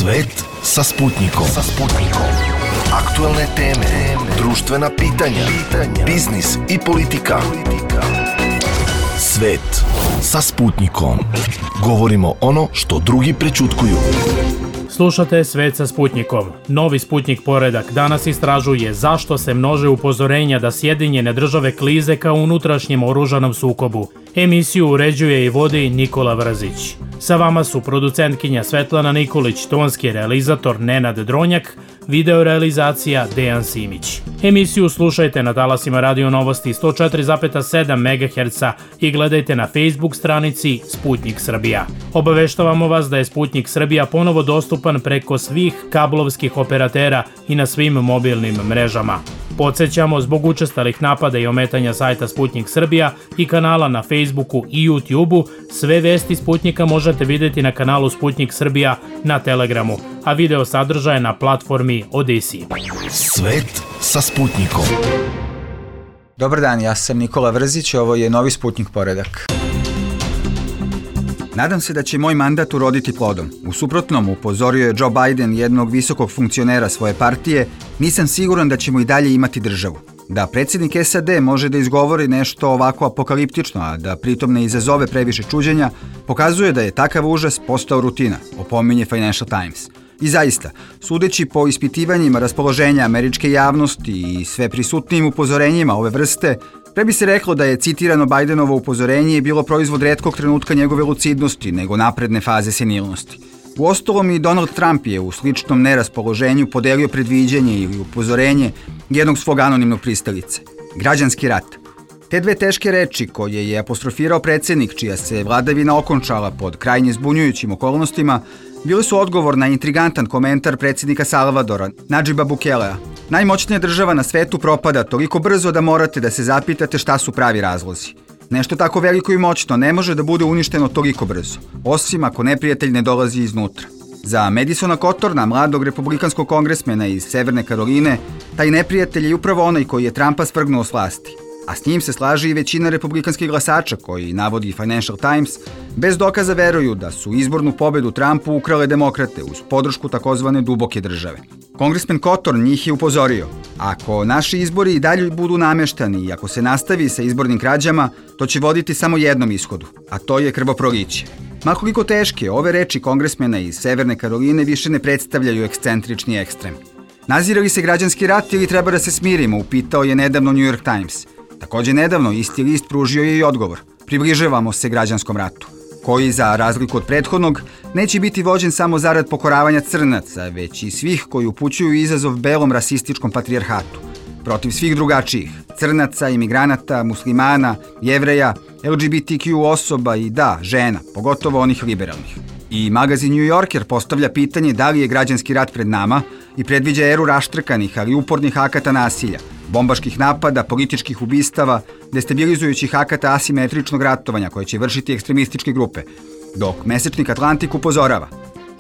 Svet sa Sputnikom. Aktuelne teme, društvena pitanja, biznis i politika. Svet sa Sputnikom. Govorimo ono što drugi prećutkuju. Slušate Svet sa Sputnikom. Novi Sputnik poredak danas istražuje zašto se množe upozorenja da Sjedinjene države klize ka unutrašnjem oružanom sukobu. Emisiju uređuje i vodi Nikola Vrzić. Sa vama su producentkinja Svetlana Nikolić, tonski realizator Nenad Dronjak, videorealizacija Dejan Simić. Emisiju slušajte na talasima Radio Novosti 104,7 MHz i gledajte na Facebook stranici Sputnik Srbija. Obaveštavamo vas da je Sputnik Srbija ponovo dostupan preko svih kablovskih operatera i na svim mobilnim mrežama. Podsećamo, zbog učestalih napada i ometanja sajta Sputnik Srbija i kanala na Facebooku i YouTubeu, sve vesti Sputnika možete vidjeti na kanalu Sputnik Srbija na Telegramu, a video sadržaje na platformi Odisi. Svet sa Sputnikom. Dobar dan, ja sam Nikola Vrzić, ovo je novi Sputnik poredak. Nadam se da će moj mandat uroditi plodom. U suprotnom, upozorio je Joe Biden, jednog visokog funkcionera svoje partije, nisam siguran da ćemo i dalje imati državu. Da predsjednik SAD može da izgovori nešto ovako apokaliptično, a da pritom ne izazove previše čuđenja, pokazuje da je takav užas postao rutina, opominje Financial Times. I zaista, sudeći po ispitivanjima raspoloženja američke javnosti i sve prisutnijim upozorenjima ove vrste, pre bi se reklo da je citirano Bidenovo upozorenje bilo proizvod retkog trenutka njegove lucidnosti nego napredne faze senilnosti. Uostalom i Donald Trump je u sličnom neraspoloženju podelio predviđenje ili upozorenje jednog svog anonimnog pristalice. Građanski rat. Te dve teške reči koje je apostrofirao predsjednik, čija se vladavina okončala pod krajnje zbunjujućim okolnostima, bili su odgovor na intrigantan komentar predsjednika Salvadora, Nadžiba Bukelea. Najmoćnija država na svetu propada toliko brzo da morate da se zapitate šta su pravi razlozi. Nešto tako veliko i moćno ne može da bude uništeno toliko brzo, osim ako neprijatelj ne dolazi iznutra. Za Madisona Cottorna, mladog republikanskog kongresmena iz Severne Karoline, taj neprijatelj je upravo onaj koji je Trumpa svrgnuo s vlasti. A s njim se slaže i većina republikanskih glasača koji, navodi Financial Times, bez dokaza veruju da su izbornu pobedu Trumpu ukrale demokrate uz podršku takozvane duboke države. Kongresmen Cottorn njih je upozorio: ako naši izbori i dalje budu nameštani i ako se nastavi sa izbornim krađama, to će voditi samo jednom ishodu, a to je krvoproliće. Ma koliko teške, ove reči kongresmena iz Severne Karoline više ne predstavljaju ekscentrični ekstrem. Nazire li se građanski rat ili treba da se smirimo, upitao je nedavno New York Times. Također nedavno isti list pružio je i odgovor: približavamo se građanskom ratu, koji, za razliku od prethodnog, neće biti vođen samo zarad pokoravanja crnaca, već i svih koji upućuju izazov belom rasističkom patrijarhatu, protiv svih drugačijih, crnaca, imigranata, muslimana, jevreja, LGBTQ osoba i da, žena, pogotovo onih liberalnih. I magazin New Yorker postavlja pitanje da li je građanski rat pred nama i predviđa eru raštrkanih, ali upornih akata nasilja, bombaških napada, političkih ubistava, destabilizujućih akata asimetričnog ratovanja koje će vršiti ekstremističke grupe, dok mesečnik Atlantik upozorava: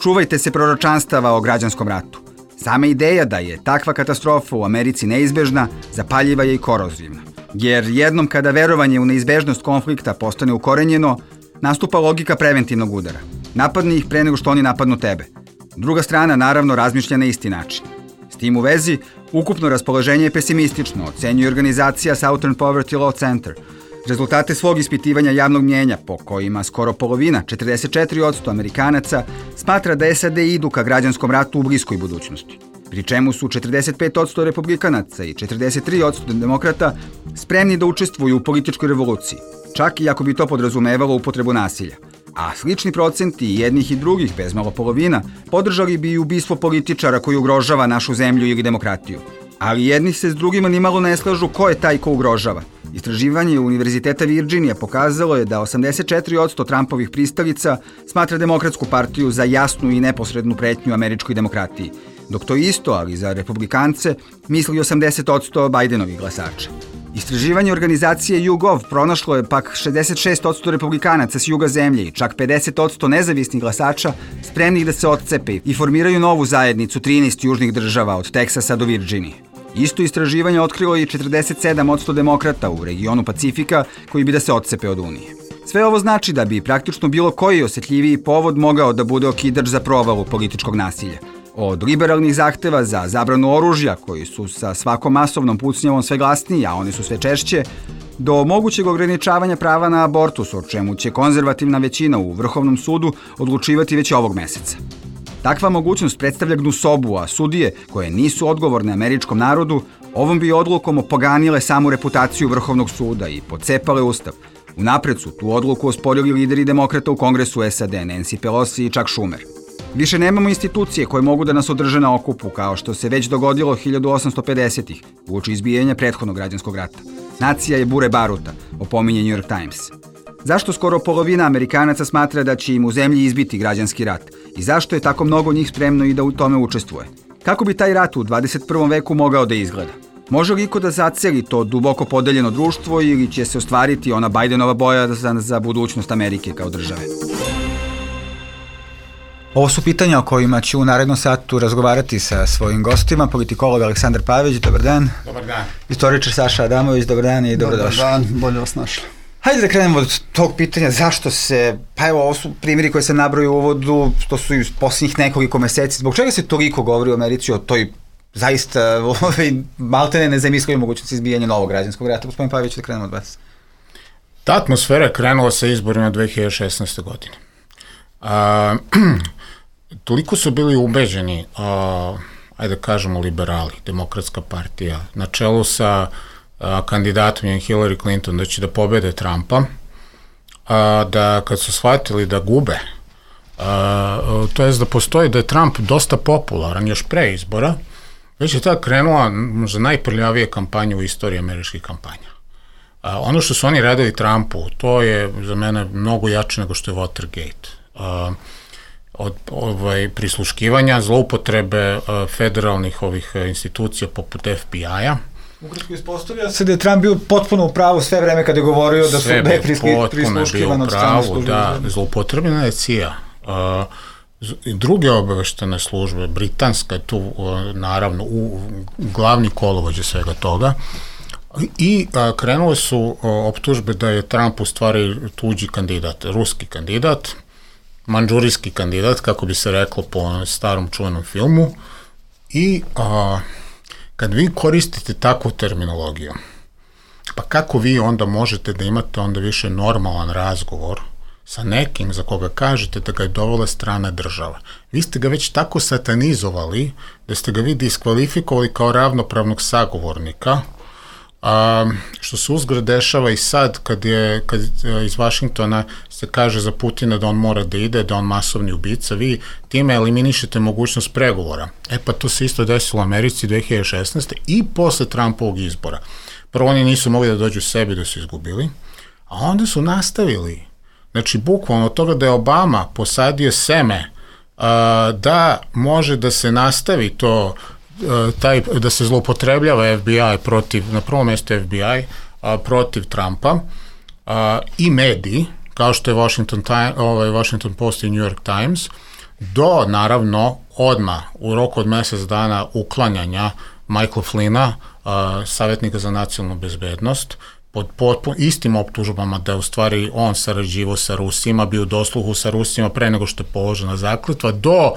čuvajte se proročanstava o građanskom ratu. Sama ideja da je takva katastrofa u Americi neizbežna, zapaljiva je i korozivna. Jer jednom kada verovanje u neizbežnost konflikta postane ukorenjeno, nastupa logika preventivnog udara. Napadni ih pre nego što oni napadnu tebe. Druga strana naravno razmišlja na isti način. S tim u vezi, ukupno raspoloženje je pesimistično, ocenjuje organizacija Southern Poverty Law Center. Rezultate svog ispitivanja javnog mnjenja, po kojima skoro polovina, 44% Amerikanaca, smatra da SAD idu ka građanskom ratu u bliskoj budućnosti. Pri čemu su 45% republikanaca i 43% demokrata spremni da učestvuju u političkoj revoluciji, čak i ako bi to podrazumevalo upotrebu nasilja. A slični procenti jednih i drugih, bez malo polovina, podržali bi i ubistvo političara koji ugrožava našu zemlju ili demokratiju. Ali jedni se s drugima nimalo ne slažu ko je taj ko ugrožava. Istraživanje Univerziteta Virginija pokazalo je da 84% Trumpovih pristalica smatra Demokratsku partiju za jasnu i neposrednu pretnju američkoj demokratiji, dok to isto, ali za republikance, misli 80% Bidenovih glasača. Istraživanje organizacije YouGov pronašlo je pak 66% republikanaca s juga zemlje i čak 50% nezavisnih glasača spremnih da se otcepe i formiraju novu zajednicu 13 južnih država od Teksasa do Virginije. Isto istraživanje otkrilo i 47% demokrata u regionu Pacifika koji bi da se otcepe od Unije. Sve ovo znači da bi praktično bilo koji osjetljiviji povod mogao da bude okidač za provalu političkog nasilja. Od liberalnih zahteva za zabranu oružja, koji su sa svakom masovnom pucnjavom sve glasniji, a oni su sve češće, do mogućeg ograničavanja prava na abortus, o čemu će konzervativna većina u Vrhovnom sudu odlučivati već ovog meseca. Takva mogućnost predstavlja gnusobu, a sudije, koje nisu odgovorne američkom narodu, ovom bi odlukom opoganile samu reputaciju Vrhovnog suda i pocepale ustav. Unapred su tu odluku osporili lideri demokrata u Kongresu SAD, Nancy Pelosi i Chuck Schumer. Više nemamo institucije koje mogu da nas održe na okupu, kao što se već dogodilo 1850-ih, uoči izbijanja prethodnog građanskog rata. Nacija je bure baruta, opominje New York Times. Zašto skoro polovina Amerikanaca smatra da će im u zemlji izbiti građanski rat? I zašto je tako mnogo njih spremno i da u tome učestvuje? Kako bi taj rat u 21. veku mogao da izgleda? Može li iko da zaceli to duboko podeljeno društvo ili će se ostvariti ona Bidenova bojazan za budućnost Amerike kao države? Ovo su pitanja o kojima ću u narednom satu razgovarati sa svojim gostima. Politikolog Aleksandar Pavić, dobar dan. Dobar dan. Istoričar Saša Adamović, dobar dan i dobrodošli. Dobar dan, bolje vas našli. Hajde da krenemo od tog pitanja zašto se, pa evo ovo su primjeri koje se nabraju u uvodu, to su i posljednjih nekoliko meseci. Zbog čega se toliko govori u Americi o toj zaista maltene nezamislive mogućnosti izbijanja novog građanskog rata? Gospodin Pavić, da krenemo od vas. Ta atmosfera je krenula sa izborima 2016. godine. Toliko su bili ubeđeni, ajde da kažemo liberali, Demokratska partija, na čelu sa kandidatom Hillary Clinton da će da pobede Trumpa, da kad su shvatili da gube, to jest da postoji da je Trump dosta popularan još pre izbora, već je tada krenula možda najprljavija kampanja u istoriji američkih kampanja. Ono što su oni radili Trumpu, to je za mene mnogo jače nego što je Watergate. Od prisluškivanja, zloupotrebe federalnih ovih institucija poput FBI-a. Ukratko ispostavlja se da je Trump bio potpuno u pravu sve vreme kada je govorio da je prisluškivan od strane službe. Da, zloupotrebljena je CIA. Druge obaveštene službe, britanska je tu naravno glavni kolovođa svega toga, i krenule su optužbe da je Trump u stvari tuđi kandidat, ruski kandidat, mandžurijski kandidat, kako bi se reklo po starom čuvenom filmu. I kad vi koristite takvu terminologiju, pa kako vi onda možete da imate onda više normalan razgovor sa nekim za koga kažete da ga je dovela strana država? Vi ste ga već tako satanizovali da ste ga vi diskvalifikovali kao ravnopravnog sagovornika, što se uzgred dešava i sad kad iz Vašingtona se kaže za Putina da on mora da ide, da on masovni ubica, vi time eliminišete mogućnost pregovora. Pa to se isto desilo u Americi 2016. i posle Trumpovog izbora. Prvo oni nisu mogli da dođu sebi da su izgubili, a onda su nastavili. Znači, bukvalno od toga da je Obama posadio seme da može da se nastavi to, da se zloupotrebljava FBI na prvom mjestu FBI protiv Trumpa, i mediji, kao što je Washington Post i New York Times, do naravno odmah u roku od mjesec dana uklanjanja Michaela Flynna, savjetnika za nacionalnu bezbednost, pod istim optužbama da je u stvari on sarađivao sa Rusima, bio u dosluhu sa Rusima pre nego što je položena zakletva, do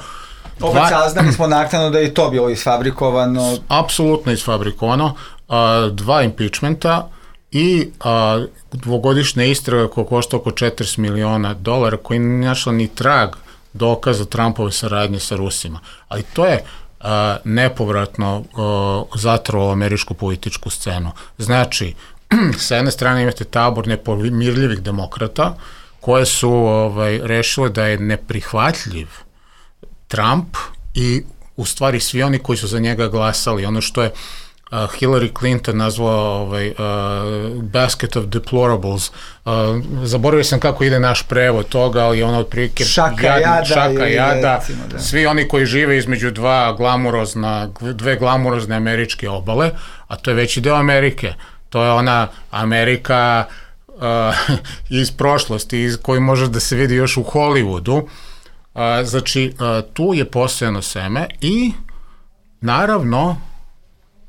opet saznali smo naknadno da je to bilo isfabrikovano. Apsolutno isfabrikovano. 2 impeachmenta i dvogodišnja istraga koja košta oko $40 miliona, koji nije našla ni trag dokaza Trumpove saradnje sa Rusima. Ali to je nepovratno zatrovalo američku političku scenu. Znači, sa jedne strane imate tabor nepomirljivih demokrata koje su rešile da je neprihvatljiv Trump i u stvari svi oni koji su za njega glasali. Ono što je Hillary Clinton nazvala basket of deplorables. Zaboravio sam kako ide naš prevod toga, ali ono otprilike šaka jada. Recimo, da. Svi oni koji žive između dve glamurozne američke obale, a to je veći deo Amerike. To je ona Amerika iz prošlosti, koji može da se vidi još u Hollywoodu. Znači, tu je posejano seme i naravno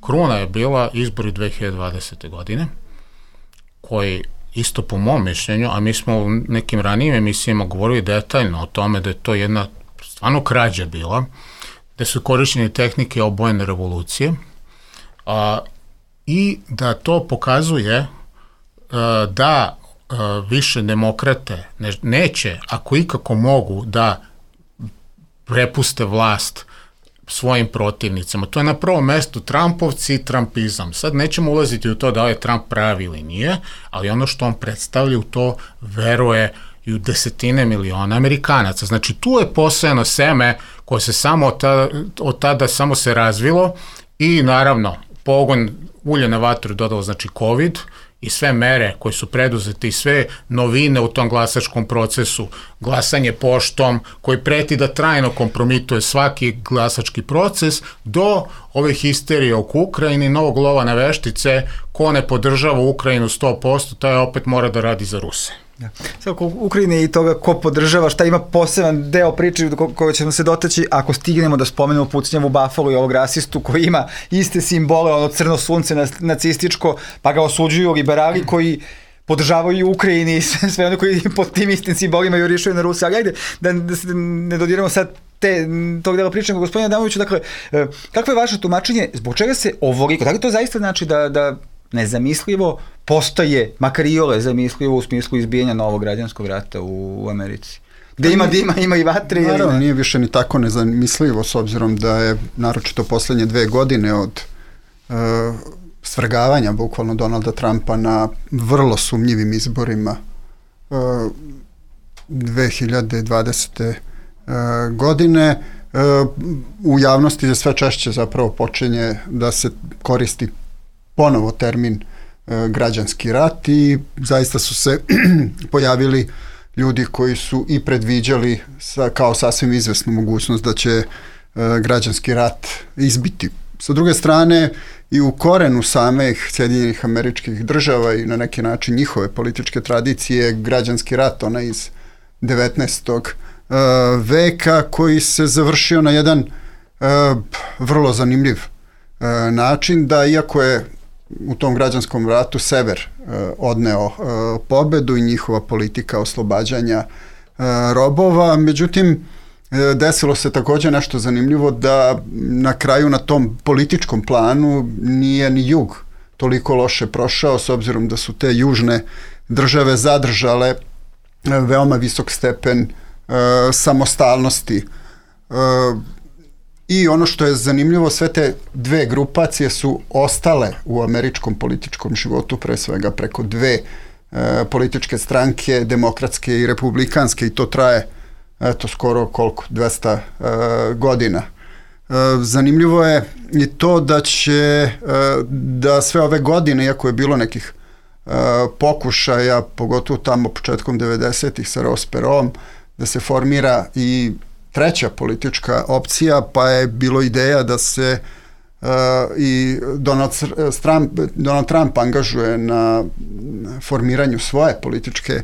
kruna je bila izbori 2020. godine, koji isto po mom mišljenju, a mi smo u nekim ranijim emisijama govorili detaljno o tome da je to jedna stvarno krađa bila, da su korišćene tehnike obojene revolucije, i da to pokazuje da više demokrate neće, ako ikako mogu, da prepuste vlast svojim protivnicama. To je na prvom mestu Trumpovci i Trumpizam. Sad nećemo ulaziti u to da li je Trump pravi ili nije, ali ono što on predstavlja, u to veruje i u desetine miliona Amerikanaca. Znači, tu je posejano seme koje se samo od tada samo se razvilo i naravno pogon ulje na vatru dodalo, znači COVID i sve mere koje su preduzete i sve novine u tom glasačkom procesu, glasanje poštom koji preti da trajno kompromituje svaki glasački proces, do ove histerije oko Ukrajine i novog lova na veštice, ko ne podržava Ukrajinu 100%, taj opet mora da radi za Ruse. Da. Sve oko Ukrajine i toga ko podržava, šta ima poseban deo priče koje ćemo se dotaći ako stignemo da spomenemo pucnjavu Buffalo i ovog rasistu koji ima iste simbole, ono crno sunce nacističko, pa ga osuđuju liberali koji podržavaju Ukrajini i sve ono koji pod tim istim simbolima jurišaju na Ruse. Ali ajde, da se ne dodiramo sad tog dela pričamo, gospodine Adamoviću, dakle, kakvo je vaše tumačenje, zbog čega se ovoliko, da li to zaista znači da nezamislivo postaje, makar iole zamislivo u smislu izbijanja novog građanskog rata u Americi? Gde ima dima, ima i vatre? Naravno, nije više ni tako nezamislivo, s obzirom da je naročito poslednje 2 godine od svrgavanja bukvalno Donalda Trumpa na vrlo sumnjivim izborima 2020. Godine, u javnosti je sve češće zapravo počinje da se koristi ponovo termin građanski rat i zaista su se pojavili ljudi koji su i predviđali kao sasvim izvesnu mogućnost da će građanski rat izbiti. Sa druge strane, i u korenu samih Sjedinjenih Američkih Država i na neki način njihove političke tradicije građanski rat, ona iz 19. veka, koji se završio na jedan vrlo zanimljiv način, da iako je u tom građanskom ratu sever odneo pobedu i njihova politika oslobađanja robova, međutim desilo se također nešto zanimljivo, da na kraju na tom političkom planu nije ni jug toliko loše prošao, s obzirom da su te južne države zadržale veoma visok stepen samostalnosti. I ono što je zanimljivo, sve te dve grupacije su ostale u američkom političkom životu, pre svega preko dve političke stranke, demokratske i republikanske, i to traje skoro 200 godina. Zanimljivo je i to da sve ove godine, iako je bilo nekih pokušaja, pogotovo tamo početkom 90-ih sa Ross Perot, da se formira i treća politička opcija, pa je bilo ideja da se i Donald Trump angažuje na formiranju svoje političke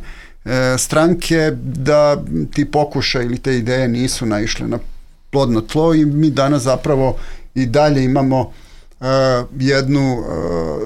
stranke, da ti pokušaj ili te ideje nisu naišle na plodno tlo i mi danas zapravo i dalje imamo jednu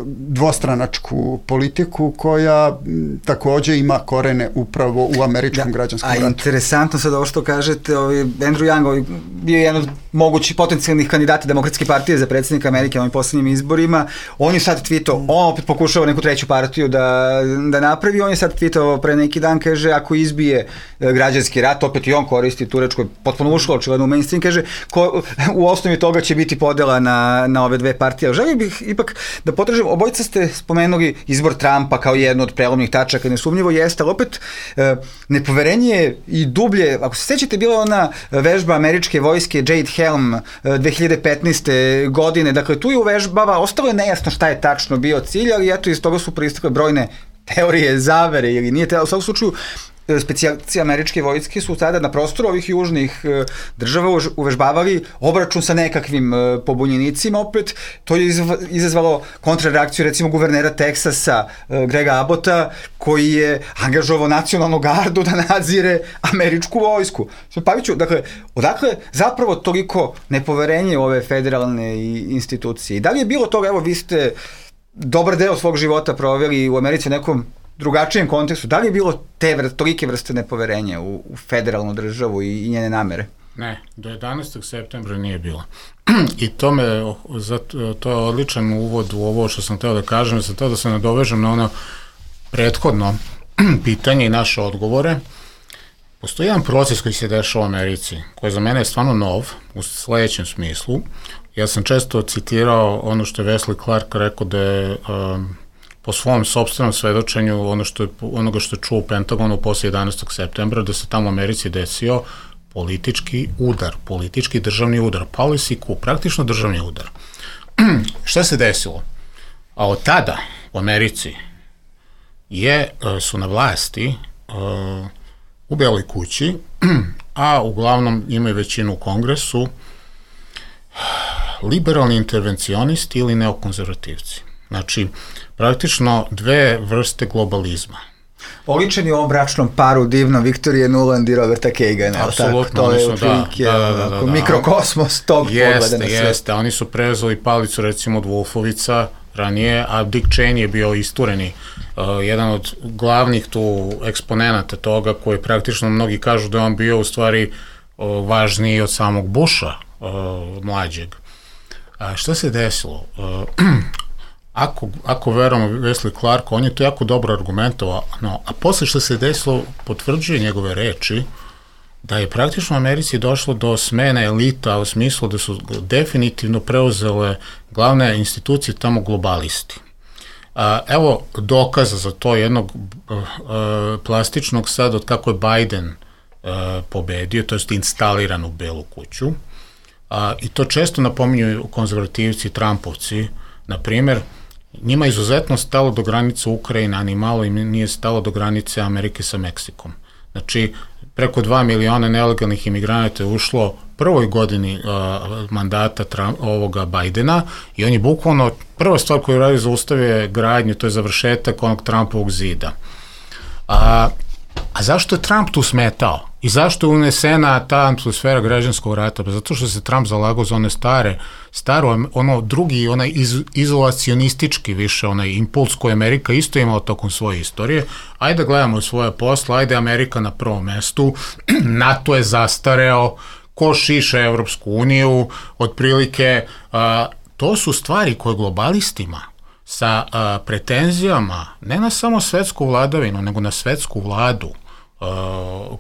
dvostranačku politiku koja također ima korene upravo u američkom građanskom ratu. A interesantno sad ovo što kažete, Andrew Young bio je jedan od mogućih potencijalnih kandidata Demokratske partije za predsjednika Amerike na ovim posljednjim izborima. On je sad tweetao, on opet pokušava neku treću partiju da napravi, on je sad tweetao pre neki dan, kaže, ako izbije građanski rat, opet i on koristi turečko, potpuno ušlo očigledno u mainstream, kaže, u osnovi toga će biti podela na ove dve partije. Želio bih ipak da potražim, obojica ste spomenuli izbor Trumpa kao jedno od prelomnih tačaka, nesumnjivo jeste, ali opet nepoverenje i dublje, ako se sećate, bila ona vežba američke vojske Jade Helm 2015. godine, dakle tu je uvežbava, ostalo je nejasno šta je tačno bio cilj, ali eto iz toga su proistekle brojne teorije zavere ili nije te, u svakom slučaju specijalci američke vojske su tada na prostoru ovih južnih država uvežbavali obračun sa nekakvim pobunjenicima, opet to je izazvalo kontrareakciju recimo guvernera Teksasa Grega Abbotta, koji je angažovao nacionalnu gardu da nadzire američku vojsku. Paviću, dakle, odakle zapravo toliko nepoverenje u ove federalne institucije? I da li je bilo toga, evo vi ste dobar deo svog života proveli u Americi, nekom drugačijem kontekstu, da li je bilo tolike vrste nepoverenja u federalnu državu i njene namere? Ne, do 11. septembra nije bilo. I to je odličan uvod u ovo što sam hteo da kažem, da se nadovežem na ono prethodno pitanje i naše odgovore. Postoji jedan proces koji se dešava u Americi, koji za mene je stvarno nov, u sledećem smislu. Ja sam često citirao ono što je Wesley Clark rekao da je po svom sopstvenom svedočenju onoga što je čuo u Pentagonu posle 11. septembra, da se tamo u Americi desio politički udar, politički državni udar, policy coup, praktično državni udar. Šta se desilo? A od tada u Americi su na vlasti u Beloj kući, a uglavnom imaju većinu u Kongresu, liberalni intervencionisti ili neokonzervativci. Znači, praktično dve vrste globalizma. Oličeni u ovom bračnom paru divno Viktorije Nuland i Roberta Kagana. Apsolutno. To je otprilike mikrokosmos tog pogleda na sve. Jeste, oni su preuzeli palicu recimo od Wolfovica ranije, a Dick Cheney je bio istureni, jedan od glavnih tu eksponenata toga, koji praktično mnogi kažu da je on bio u stvari važniji od samog Busha mlađeg. Šta se desilo? Ako verujemo Wesley Clarku, on je to jako dobro argumentovao, a posle što se desilo potvrđuje njegove reči da je praktično u Americi došlo do smene elita u smislu da su definitivno preuzele glavne institucije tamo globalisti. Evo dokaza za to jednog plastičnog sad od kako je Biden pobedio, to je instaliran u Belu kuću, i to često napominju konzervativci, Trumpovci, na primjer, njima je izuzetno stalo do granice Ukrajine, a ni malo im nije stalo do granice Amerike sa Meksikom. Znači, preko 2 miliona nelegalnih imigranata je ušlo prvoj godini mandata ovoga Bidena i on je bukvalno, prva stvar koju radi zaustavio gradnju, to je završetak onog Trumpovog zida. A zašto je Trump tu smetao? I zašto je unesena ta atmosfera građanskog rata? Zato što se Trump zalagao za one staro, ono drugi, onaj izolacionistički više, onaj impuls koji Amerika isto imala tokom svoje istorije. Ajde gledamo svoje posla, ajde Amerika na prvom mestu, NATO je zastareo, ko šiša Evropsku uniju, otprilike, to su stvari koje globalistima sa pretenzijama, ne na samo svetsku vladavinu, nego na svetsku vladu,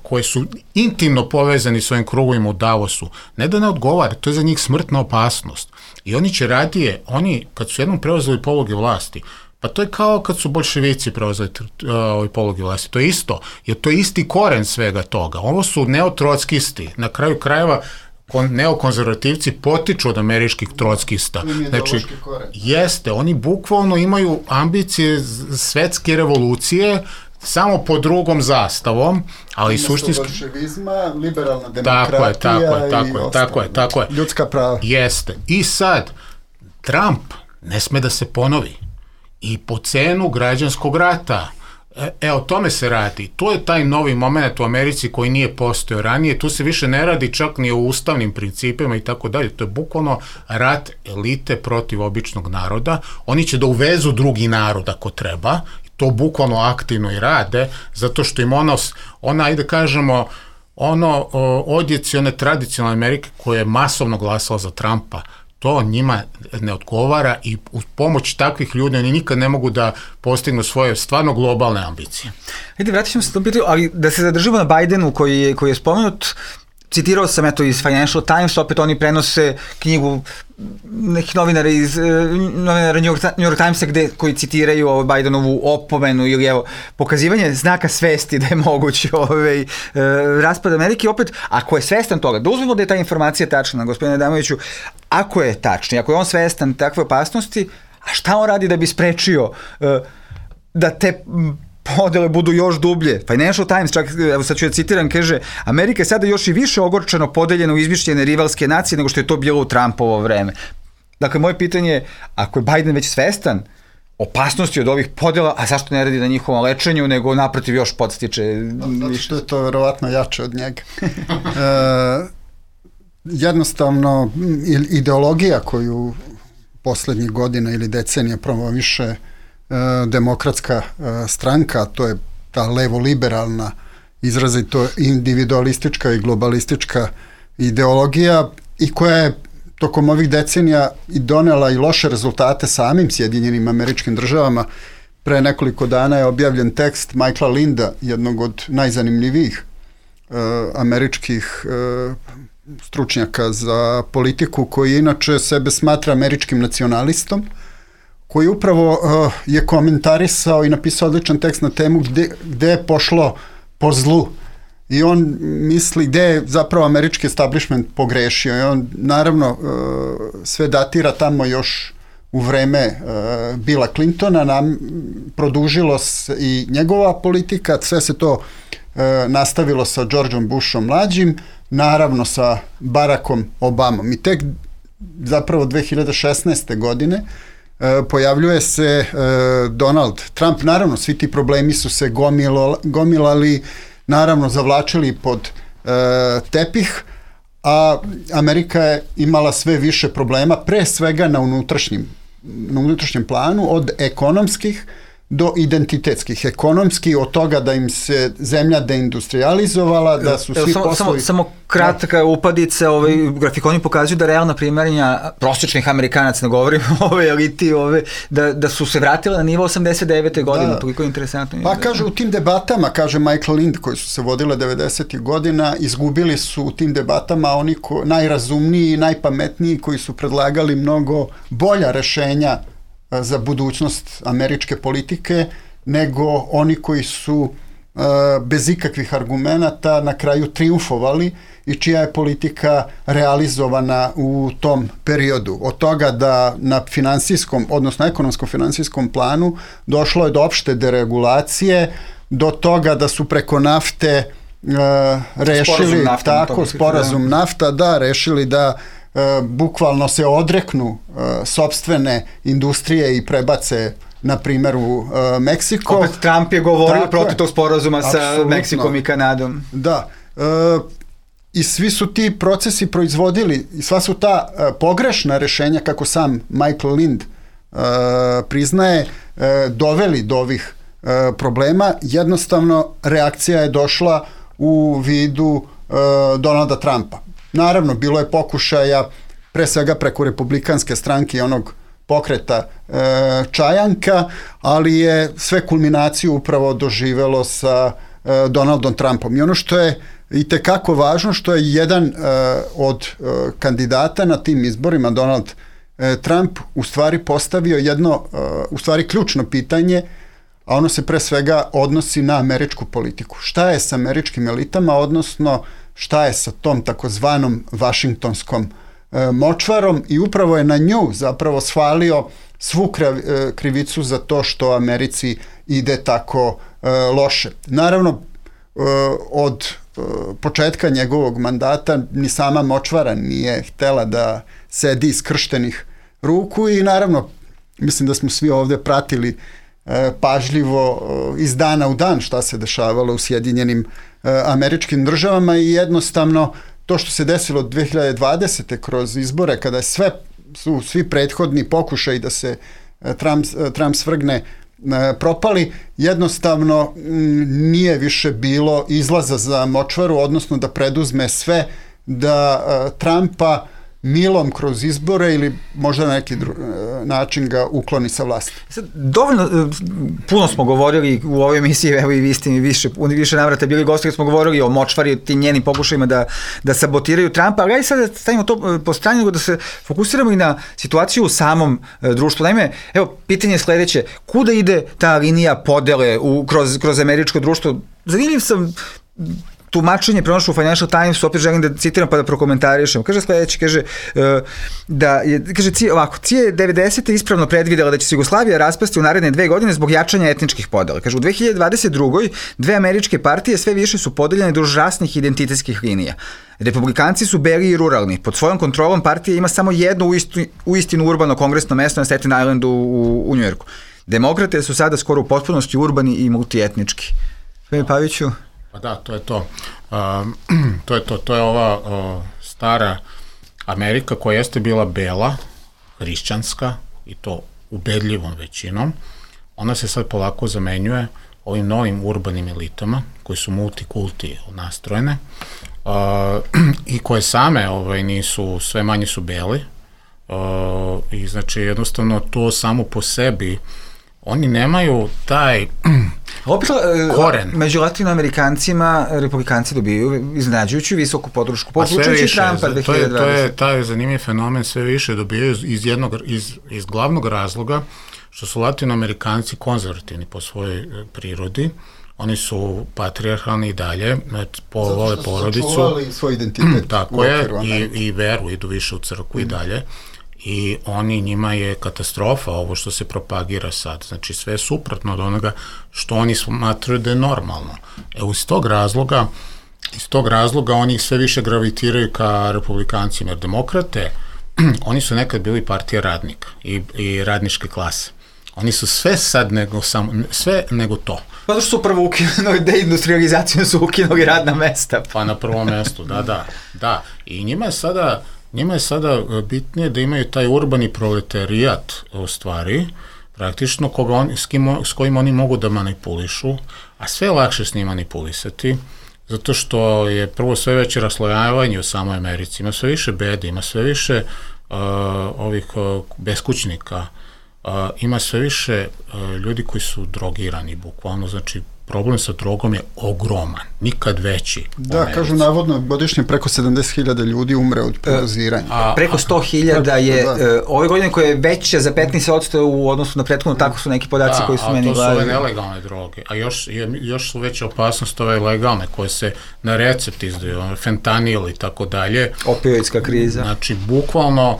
koji su intimno povezani s ovim krugovima u Davosu, ne da ne odgovara, to je za njih smrtna opasnost. I oni će radije, oni kad su jednom preuzeli pologe vlasti, pa to je kao kad su bolševici preuzeli pologe vlasti, to je isto, jer to je isti koren svega toga. Ovo su neotrockisti, na kraju krajeva neokonzervativci potiču od američkih trockista. Znači, jeste, oni bukvalno imaju ambicije svetske revolucije, samo pod drugom zastavom, ali suštinski... bolševizma, liberalna demokratija tako je. Ljudska prava. Jeste. I sad, Trump ne sme da se ponovi. I po cenu građanskog rata. O tome se radi. To je taj novi moment u Americi koji nije postojao ranije. Tu se više ne radi čak ni o ustavnim principima i tako dalje. To je bukvalno rat elite protiv običnog naroda. Oni će da uvezu drugi narod ako treba. To bukvalno aktivno i rade, zato što im ajde kažemo, odjeci one tradicionalne Amerike koja je masovno glasala za Trumpa, to njima ne odgovara i uz pomoć takvih ljudi oni nikad ne mogu da postignu svoje stvarno globalne ambicije. Ajde, vratit ćemo se tom pitanju, ali da se zadržimo na Bidenu koji je spomenut, citirao sam iz Financial Times, opet oni prenose knjigu nekih novinara iz New York Timesa koji citiraju Bidenovu opomenu ili pokazivanje znaka svesti da je moguć raspad Amerike. Opet, ako je svestan toga, da uzmemo da je ta informacija tačna, gospodine Adamoviću, ako je tačna, ako je on svestan takve opasnosti, a šta on radi da bi sprečio da te podele budu još dublje? Financial Times, čak, evo sad ću da citiram, kaže, Amerika je sada još i više ogorčano podeljena u izmišljene rivalske nacije nego što je to bilo u Trumpovo vreme. Dakle, moje pitanje je, ako je Biden već svestan opasnosti od ovih podela, a zašto ne radi na njihovom lečenju, nego naprotiv još podstiče? Zato što je to verovatno jače od njega. Jednostavno, ideologija koju poslednjih godina ili decenija promoviše demokratska stranka, to je ta levo-liberalna, izrazito individualistička i globalistička ideologija i koja je tokom ovih decenija i donela i loše rezultate samim Sjedinjenim Američkim Državama. Pre nekoliko dana je objavljen tekst Michaela Linda, jednog od najzanimljivijih američkih stručnjaka za politiku, koji inače sebe smatra američkim nacionalistom, koji upravo je komentarisao i napisao odličan tekst na temu gde je pošlo po zlu. I on misli gde je zapravo američki establishment pogrešio. I on naravno sve datira tamo još u vreme Billa Clintona, produžilo se i njegova politika, sve se to nastavilo sa Georgeom Bushom mlađim, naravno sa Barackom Obamom. I tek zapravo 2016. godine pojavljuje se Donald Trump. Naravno, svi ti problemi su se gomilali, naravno zavlačili pod tepih, a Amerika je imala sve više problema, pre svega na unutrašnjem planu, od ekonomskih do identitetskih. Ekonomski od toga da im se zemlja deindustrializovala, da su svi poslovi... Samo kratka upadica, grafikoni pokazuju da realna primaranja prosječnih Amerikanaca, ne govorim o eliti, da su se vratile na nivo 89. godine, toliko je interesantno. Pa kaže, u tim debatama, kaže Michael Lind, koji su se vodile 90. godina, izgubili su u tim debatama oni najrazumniji i najpametniji, koji su predlagali mnogo bolja rešenja za budućnost američke politike, nego oni koji su bez ikakvih argumenata na kraju triumfovali i čija je politika realizovana u tom periodu. Od toga da na finansijskom, odnosno ekonomsko-finansijskom planu došlo je do opšte deregulacije, do toga da su preko nafte rešili sporazum nafta, rešili da bukvalno se odreknu sopstvene industrije i prebace, na primjer, u Meksiko. Opet Trump je govorio protiv tog sporazuma sa Meksikom i Kanadom. Da. I svi su ti procesi proizvodili, i sva su ta pogrešna rešenja, kako sam Michael Lind priznaje, doveli do ovih problema. Jednostavno, reakcija je došla u vidu Donalda Trumpa. Naravno, bilo je pokušaja, pre svega preko republikanske stranke i onog pokreta Čajanka, ali je sve kulminaciju upravo doživelo sa Donaldom Trumpom. I ono što je itekako važno, što je jedan od kandidata na tim izborima, Donald Trump, u stvari postavio jedno, u stvari ključno pitanje, a ono se pre svega odnosi na američku politiku. Šta je sa američkim elitama, odnosno šta je sa tom takozvanom vašingtonskom močvarom, i upravo je na nju zapravo svalio svu krivicu za to što Americi ide tako loše. Naravno, od početka njegovog mandata ni sama močvara nije htela da sedi iskrštenih ruku i naravno, mislim da smo svi ovde pratili pažljivo iz dana u dan šta se dešavalo u Sjedinjenim Američkim Državama i jednostavno to što se desilo 2020. kroz izbore, kada su svi prethodni pokušaji da se Trump svrgne propali, jednostavno nije više bilo izlaza za močvaru, odnosno da preduzme sve da Trumpa milom kroz izbore ili možda na neki način ga ukloni sa vlasti. Dovoljno, puno smo govorili u ovoj emisiji, evo i vi ste mi više navrata bili gosti, smo govorili o močvari, tim njenim pokušajima da sabotiraju Trumpa, ali ja sad stavimo to po strani, nego da se fokusiramo i na situaciju u samom društvu. Naime, evo, pitanje je sledeće, kuda ide ta linija podele kroz američko društvo? Zanimljiv sam tumačenje pronašao u Financial Timesu, opet želim da citiram pa da prokomentarišem. Kaže sledeće, kaže CIA je 90. ispravno predvidela da će se Jugoslavija raspasti u naredne 2 godine zbog jačanja etničkih podela. Kaže, u 2022. dve američke partije sve više su podeljene duž rasnih identitetskih linija. Republikanci su beli i ruralni. Pod svojom kontrolom partija ima samo jedno uistinu urbano kongresno mesto na Staten Islandu u Njujorku. Demokrate su sada skoro u potpunosti urbani i multietnički. Gospodine Paviću? Pa da, to je to. To je ova stara Amerika koja jeste bila bela, hrišćanska i to ubedljivom većinom, ona se sad polako zamenjuje ovim novim urbanim elitama koji su multikulti nastrojene i koje same nisu, sve manje su beli i znači jednostavno to samo po sebi oni nemaju taj koren. Među latinoamerikancima republikanci dobijaju iznenađujuću visoku podršku, uključujući Trumpa 2020. To je zanimljiv fenomen, sve više dobijaju iz glavnog razloga što su latinoamerikanci konzervativni po svojoj prirodi. Oni su patrijarhalni i dalje, vole porodicu. Sačuvali svoj identitet. Tako je, i veru, idu više u crkvu i dalje. I njima je katastrofa ovo što se propagira sad. Znači sve je suprotno od onoga što oni smatraju da je normalno. Iz tog razloga oni sve više gravitiraju ka republikancima, jer demokrate, oni su nekad bili partija radnika i radničke klase. Oni su sve sad nego to. Pa što su prvo ukinuli deindustrializaciju, su ukinuli radna mesta. Pa na prvom mestu, da. I njima je sada bitnije da imaju taj urbani proletarijat u stvari, praktično s kojim oni mogu da manipulišu, a sve je lakše s njim manipulisati, zato što je prvo sve veće raslojavanje u samoj Americi, ima sve više bede, ima sve više ovih beskućnika, ima sve više ljudi koji su drogirani, bukvalno, znači problem sa drogom je ogroman, nikad veći. Da, kažu navodno godišnje preko 70.000 ljudi umre od predoziranja. Preko 100.000 je ove godine koje je veće za 15% u odnosu na prethodno, tako su neki podaci koji su meni gledali. To su ove nelegalne droge, a još su veća opasnost ove legalne koje se na recept izdaju, fentanil i tako dalje. Opioidska kriza. Znači, bukvalno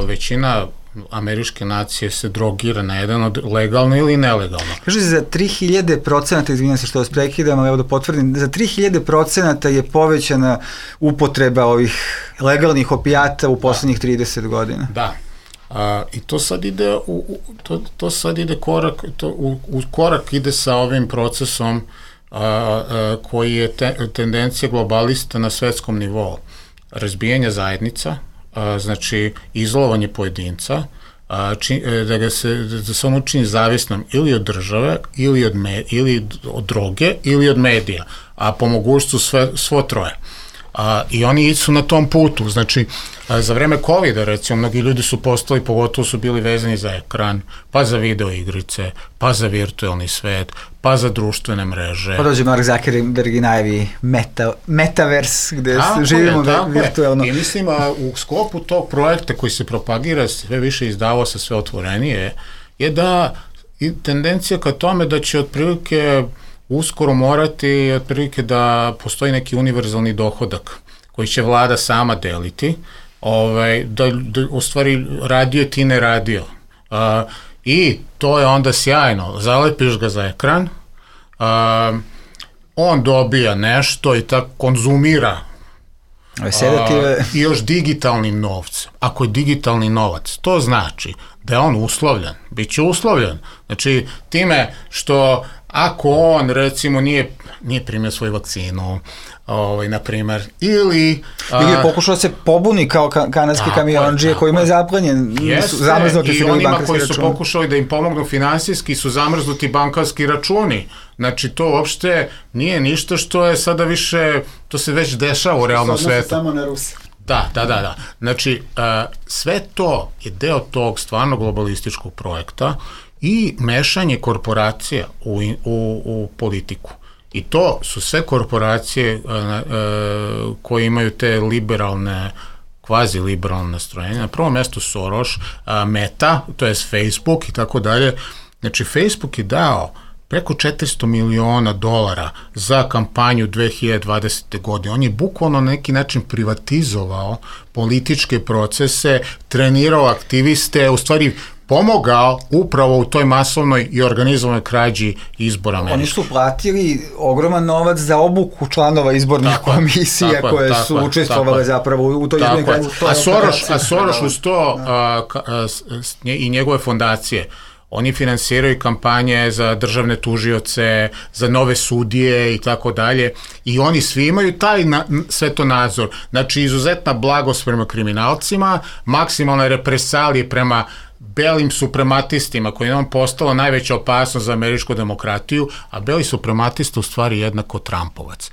većina američke nacije se drogira na jedan od legalno ili nelegalno. Kaže, za 3000%, izvinjam se što vas prekidam, ali evo da potvrdim, za 3000% je povećana upotreba ovih legalnih opijata u poslednjih 30 godina. Da. I to sad ide korak ide sa ovim procesom koji je tendencija globalista na svetskom nivou. Razbijanje zajednica, znači izolovanje pojedinca, da se on učini zavisnom ili od države, ili od droge, ili od medija, a po mogućstvu svo troje. I oni su na tom putu, znači za vreme COVID-a recimo mnogi ljudi su postali, pogotovo su bili vezani za ekran, pa za video igrice, pa za virtualni svet, pa za društvene mreže. Pa dođe Mark Zuckerberg i najavi Metaverse, gde živimo virtualno. I mislim, u sklopu tog projekta koji se propagira, sve više izdavao sa sve otvorenije, je da tendencija ka tome da će otprilike uskoro morati otprilike da postoji neki univerzalni dohodak koji će vlada sama deliti, da u stvari radio ti ne radio. I to je onda sjajno, zalepiš ga za ekran, on dobija nešto i tako konzumira i još digitalnim novcem. Ako je digitalni novac, to znači da je on uslovljen, bit će uslovljen. Znači, time što ako on, recimo, nije primio svoju vakcinu, na primer, ili pokušao se pobuni kao kanadski kamionđije koji imaju zaplanjen, zamrznuti su bili bankarski računi. I onima koji su pokušali da im pomognu finansijski su zamrznuti bankarski računi. Znači, to uopšte nije ništa što je sada više, to se već dešava u realnom svetu. Samo na Rusi. Da. Znači, sve to je deo tog stvarno globalističkog projekta i mešanje korporacija u politiku. I to su sve korporacije koje imaju te liberalne, kvazi-liberalne nastrojenja. Na prvom mestu Soros, Meta, to je Facebook i tako dalje. Znači, Facebook je dao preko $400 miliona za kampanju 2020. godine. On je bukvalno na neki način privatizovao političke procese, trenirao aktiviste, u stvari pomogao upravo u toj masovnoj i organizovanoj krađi izbora američkih. Oni su platili ogroman novac za obuku članova izbornih komisija koje su učestvovale zapravo u toj izbornoj krađi. A Soros uz to i njegove fondacije, oni finansiraju kampanje za državne tužioce, za nove sudije i tako dalje, i oni svi imaju taj svetonazor. Znači, izuzetna blagost prema kriminalcima, maksimalne represalije prema belim suprematistima koji je postala najveća opasnost za američku demokratiju, a beli suprematista u stvari jednako Trumpovac.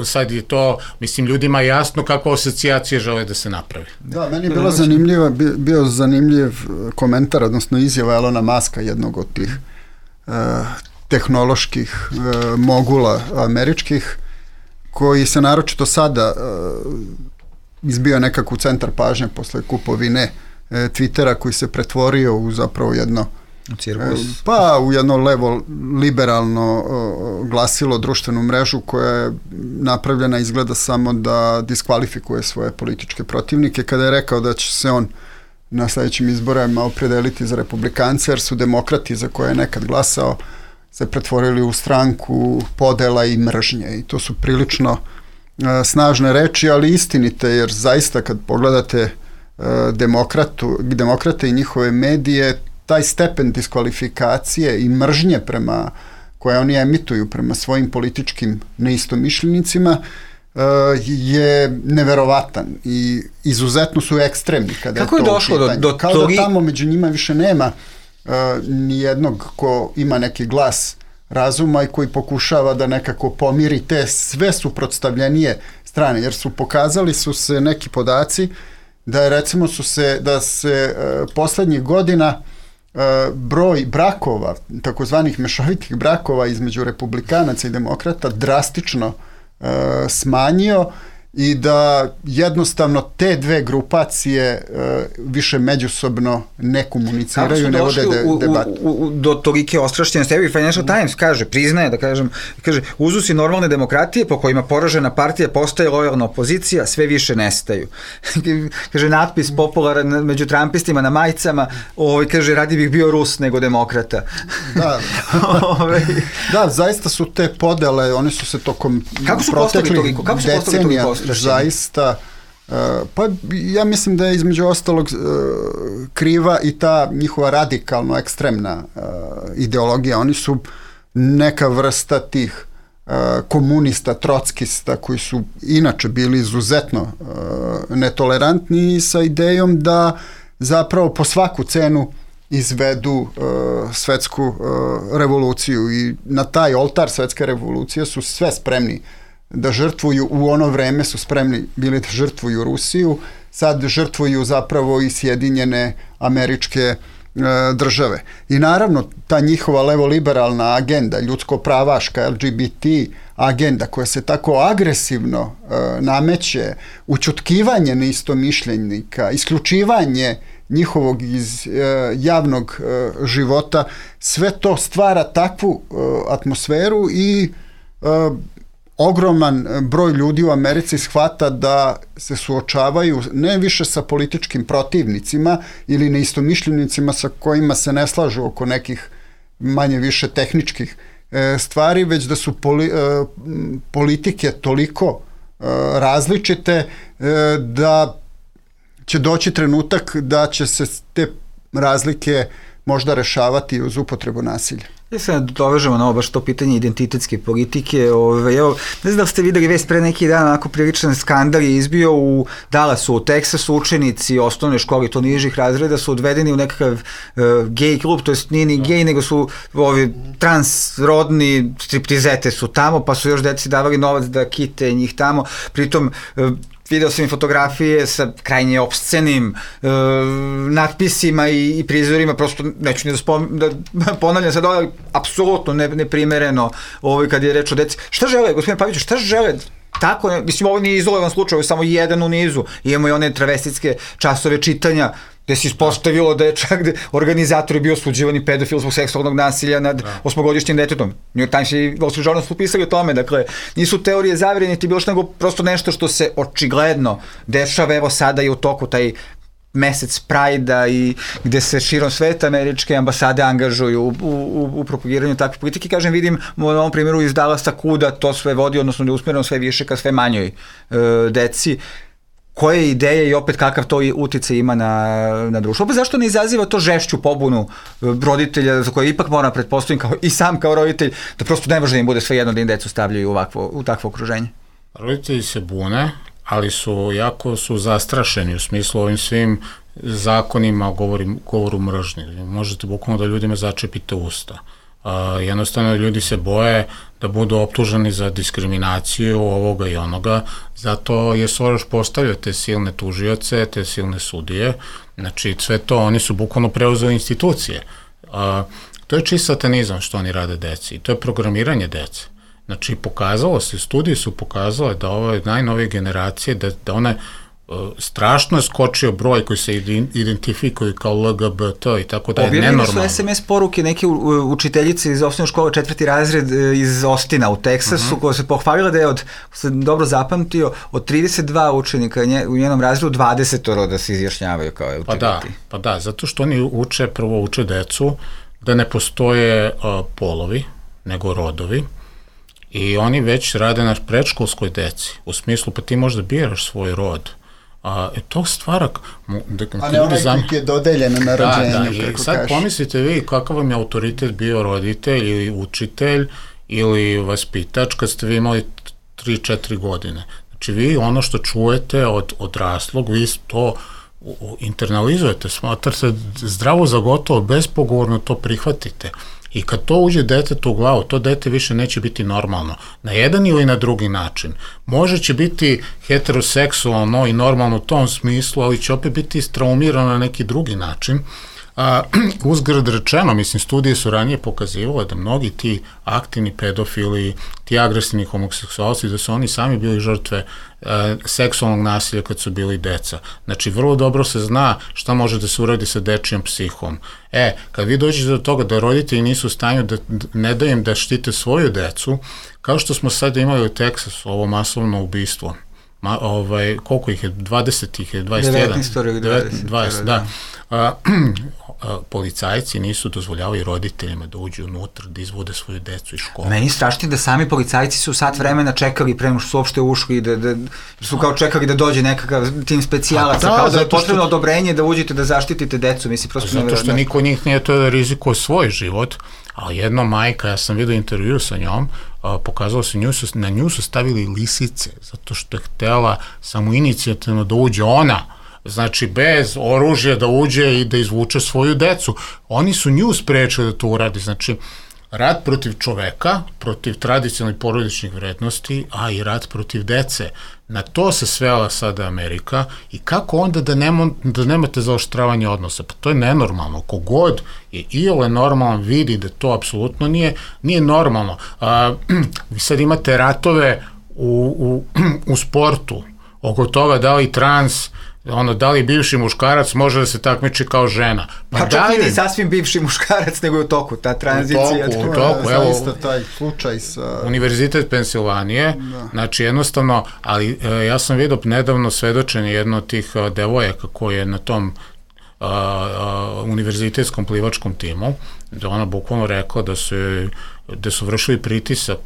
Sad je to, mislim, ljudima jasno kakva asocijacija žele da se napravi. Da, meni je bio zanimljiv komentar, odnosno izjava Elona Muska, jednog od tih tehnoloških mogula američkih, koji se naročito sada izbio nekako u centar pažnje posle kupovine Twittera, koji se pretvorio u zapravo jedno u jedno levo liberalno glasilo, društvenu mrežu koja je napravljena izgleda samo da diskvalifikuje svoje političke protivnike, kada je rekao da će se on na sledećim izborima opredeliti za republikance, jer su demokrati za koje je nekad glasao se pretvorili u stranku podela i mržnje, i to su prilično snažne reči, ali istinite, jer zaista kad pogledate demokrate i njihove medije, taj stepen diskvalifikacije i mržnje koje oni emituju prema svojim političkim neistomišljenicima je neverovatan i izuzetno su ekstremni kada je to u pitanju. Kako je došlo kao da tamo među njima više nema ni jednog ko ima neki glas razuma i koji pokušava da nekako pomiri te sve suprotstavljenije strane, jer pokazali su se neki podaci da je recimo da se poslednjih godina broj brakova, takozvanih mešovitih brakova između republikanaca i demokrata drastično smanjio i da jednostavno te dve grupacije više međusobno ne komuniciraju, ne vode debate. Do tolike ostrašćenosti. Evo i Financial Times priznaje kaže, uzusi normalne demokratije po kojima poražena partija postaje lojalna opozicija, sve više nestaju. Kaže, natpis popularan među Trumpistima na majicama, kaže, radi bih bio Rus nego demokrata. Da, zaista su te podele, one su se tokom proteklih decenija zaista, pa ja mislim da je između ostalog kriva i ta njihova radikalno ekstremna ideologija. Oni su neka vrsta tih komunista, trockista koji su inače bili izuzetno netolerantni sa idejom da zapravo po svaku cenu izvedu svetsku revoluciju, i na taj oltar svetske revolucije su sve spremni da žrtvuju. U ono vreme su spremni bili da žrtvuju Rusiju, sad žrtvuju zapravo i Sjedinjene Američke Države. I naravno ta njihova levoliberalna agenda, ljudsko-pravaška, LGBT agenda koja se tako agresivno nameće, ućutkivanje neistomišljenika, isključivanje njihovog iz javnog života, sve to stvara takvu atmosferu i ogroman broj ljudi u Americi shvata da se suočavaju ne više sa političkim protivnicima ili neistomišljenicima sa kojima se ne slažu oko nekih manje više tehničkih stvari, već da su politike toliko različite da će doći trenutak da će se te razlike možda rešavati uz upotrebu nasilja. Ja se dovežemo na ovo baš to pitanje identitetske politike. Evo, ne znam da ste videli vest pre neki dan, onako priličan skandal je izbio u Dallasu, u Teksasu. Učenici osnovne škole, to nižih razreda, su odvedeni u nekakav gej klub, to jest nije ni gej, nego su transrodni striptizete su tamo, pa su još deci davali novac da kite njih tamo. Pritom video sam i fotografije sa krajnje opscenim natpisima i prizorima, prosto neću ni da ponavljam sad, ali apsolutno neprimereno kad je reč o deci. Šta žele, gospodine Paviću, šta žele? Tako, mislim, ovo nije izolovan slučaj, ovo je samo jedan u nizu. Imamo i one travestitske časove čitanja, gde se ispostavilo da je čak organizator je bio osuđivani pedofil zbog seksualnog nasilja nad 8-godišnjim detetom. New York Times i Wall Street Journal su pisali o tome, dakle, nisu teorije zavere niti bilo što, nego prosto nešto što se očigledno dešava. Evo sada je u toku taj mesec Prajda i gde se širom sveta američke ambasade angažuju u propagiranju takve politike. Kažem, vidim u ovom primjeru iz Dallasa kuda to sve vodi, odnosno da je usmjereno sve više ka sve manjoj deci. Koje ideje i opet kakav to uticaj ima na društvo. Opet zašto ne izaziva to žešću pobunu roditelja, za koje ipak moram pretpostaviti i sam kao roditelj, da prosto ne može da im bude sve jedno da im decu stavljaju u takvo okruženje? Roditelji se bune, ali jako su zastrašeni u smislu ovim svim zakonima o govoru mržnje. Možete bukvalno da ljudima začepite usta. Jednostavno ljudi se boje da budu optuženi za diskriminaciju ovoga i onoga, zato je Soroš postavio te silne tužioce, te silne sudije, znači sve to, oni su bukvalno preuzeli institucije. To je čist satanizam što oni rade deci i to je programiranje dece. Znači pokazalo se, studije su pokazale da ove najnovije generacije, da one strašno je skočio broj koji se identifikuju kao LGBT i tako da je nenormalno. Objavljeni su SMS poruke neke učiteljice iz osnovne škole 4. razred iz Ostina u Teksasu, koja se pohvalila da je od, se dobro zapamtio, od 32 učenika u njenom razredu 20 da se izjašnjavaju kao LGBT. Pa da, zato što oni prvo uče decu da ne postoje polovi, nego rodovi. I oni već rade na predškolskoj deci, u smislu pa ti možda biraš svoj rod. To stvara... A ne onaj koji je dodeljen na rođenju, kako sad kažeš. Pomislite vi kakav vam je autoritet bio roditelj ili učitelj ili vaspitač kad ste vi imali 3-4 godine. Znači vi ono što čujete od odraslog, vi to internalizujete, smatrate zdravo za gotovo, bespogovorno to prihvatite. I kad to uđe detetu u glavu, to dete više neće biti normalno. Na jedan ili na drugi način. Može će biti heteroseksualno i normalno u tom smislu, ali će opet biti istraumirano na neki drugi način. Uzgred rečeno, mislim, studije su ranije pokazivale da mnogi ti aktivni pedofili, ti agresivni homoseksualci, da su oni sami bili žrtve seksualnog nasilja kad su bili deca. Znači, vrlo dobro se zna šta može da se uradi sa dečijom psihom. Kad vi dođete do toga da roditelji nisu u stanju da ne daju im da štite svoju decu, kao što smo sad imali u Teksasu, ovo masovno ubistvo, koliko ih je, 20 ih je, 21? 20, da. Policajci nisu dozvoljavali roditeljima da uđu unutra, da izvode svoju decu iz škole. Meni strašnije da sami policajci su sat vremena čekali pre nego što su uopšte ušli, da su kao čekali da dođe nekakav tim specijalaca, kao da je potrebno odobrenje da uđete da zaštitite decu, mislim, prosto nevjerojatno. Zato što niko od njih nije to da rizikuje svoj život, ali jedna majka, ja sam vidio intervju sa njom, pokazalo se, na nju su stavili lisice, zato što je htela samoinicijativno da uđe ona, znači bez oružja da uđe i da izvuče svoju decu. Oni su nju sprečili da to uradi, znači rat protiv čoveka, protiv tradicionalnih porodičnih vrednosti, a i rat protiv dece. Na to se svela sada Amerika i kako onda da nemate zaoštravanje odnosa? Pa to je nenormalno. Kogod je iole normalan vidi da to apsolutno nije normalno. Vi sad imate ratove u sportu, oko toga da li da li bivši muškarac može da se takmiči kao žena. Pa čak i sasvim bivši muškarac, nego je u toku, ta tranzicija. U toku, evo, zaista taj slučaj sa... Univerzitet Pensilvanije, znači jednostavno, ali ja sam vidio nedavno svedočenje jedno od tih devojaka koji je na tom univerzitetskom plivačkom timu, da ona bukvalno rekla da su vršili pritisak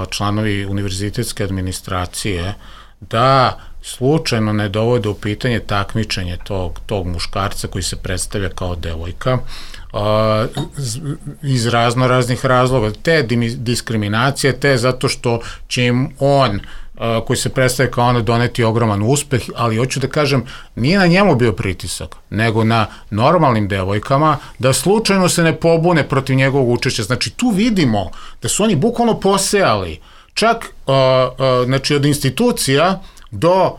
članovi univerzitetske administracije da slučajno ne dovode u pitanje takmičenje tog muškarca koji se predstavlja kao devojka iz raznih razloga, te diskriminacije, te zato što će im on koji se predstavlja kao ona doneti ogroman uspeh, ali hoću da kažem, nije na njemu bio pritisak, nego na normalnim devojkama, da slučajno se ne pobune protiv njegovog učešća. Znači tu vidimo da su oni bukvalno posejali, čak znači od institucija do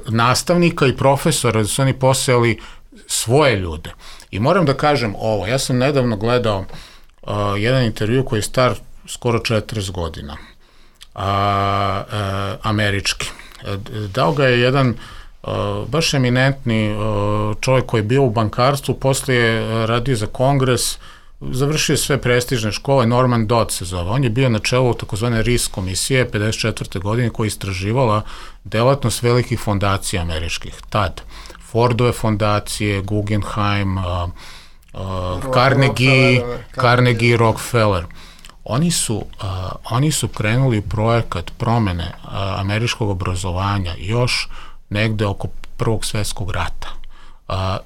nastavnika i profesora, da su oni posejali svoje ljude. I moram da kažem ovo, ja sam nedavno gledao jedan intervju koji je star skoro 40 godina, američki. Dao ga je jedan baš eminentni čovjek koji je bio u bankarstvu, poslije radio za Kongres, završio sve prestižne škole, Norman Dodd se zove. On je bio na čelu takozvane RIS komisije 54. godine koja je istraživala delatnost velikih fondacija američkih. Tad Fordove fondacije, Guggenheim, Carnegie, Rockefeller. Oni su krenuli u projekat promene američkog obrazovanja još negde oko Prvog svjetskog rata.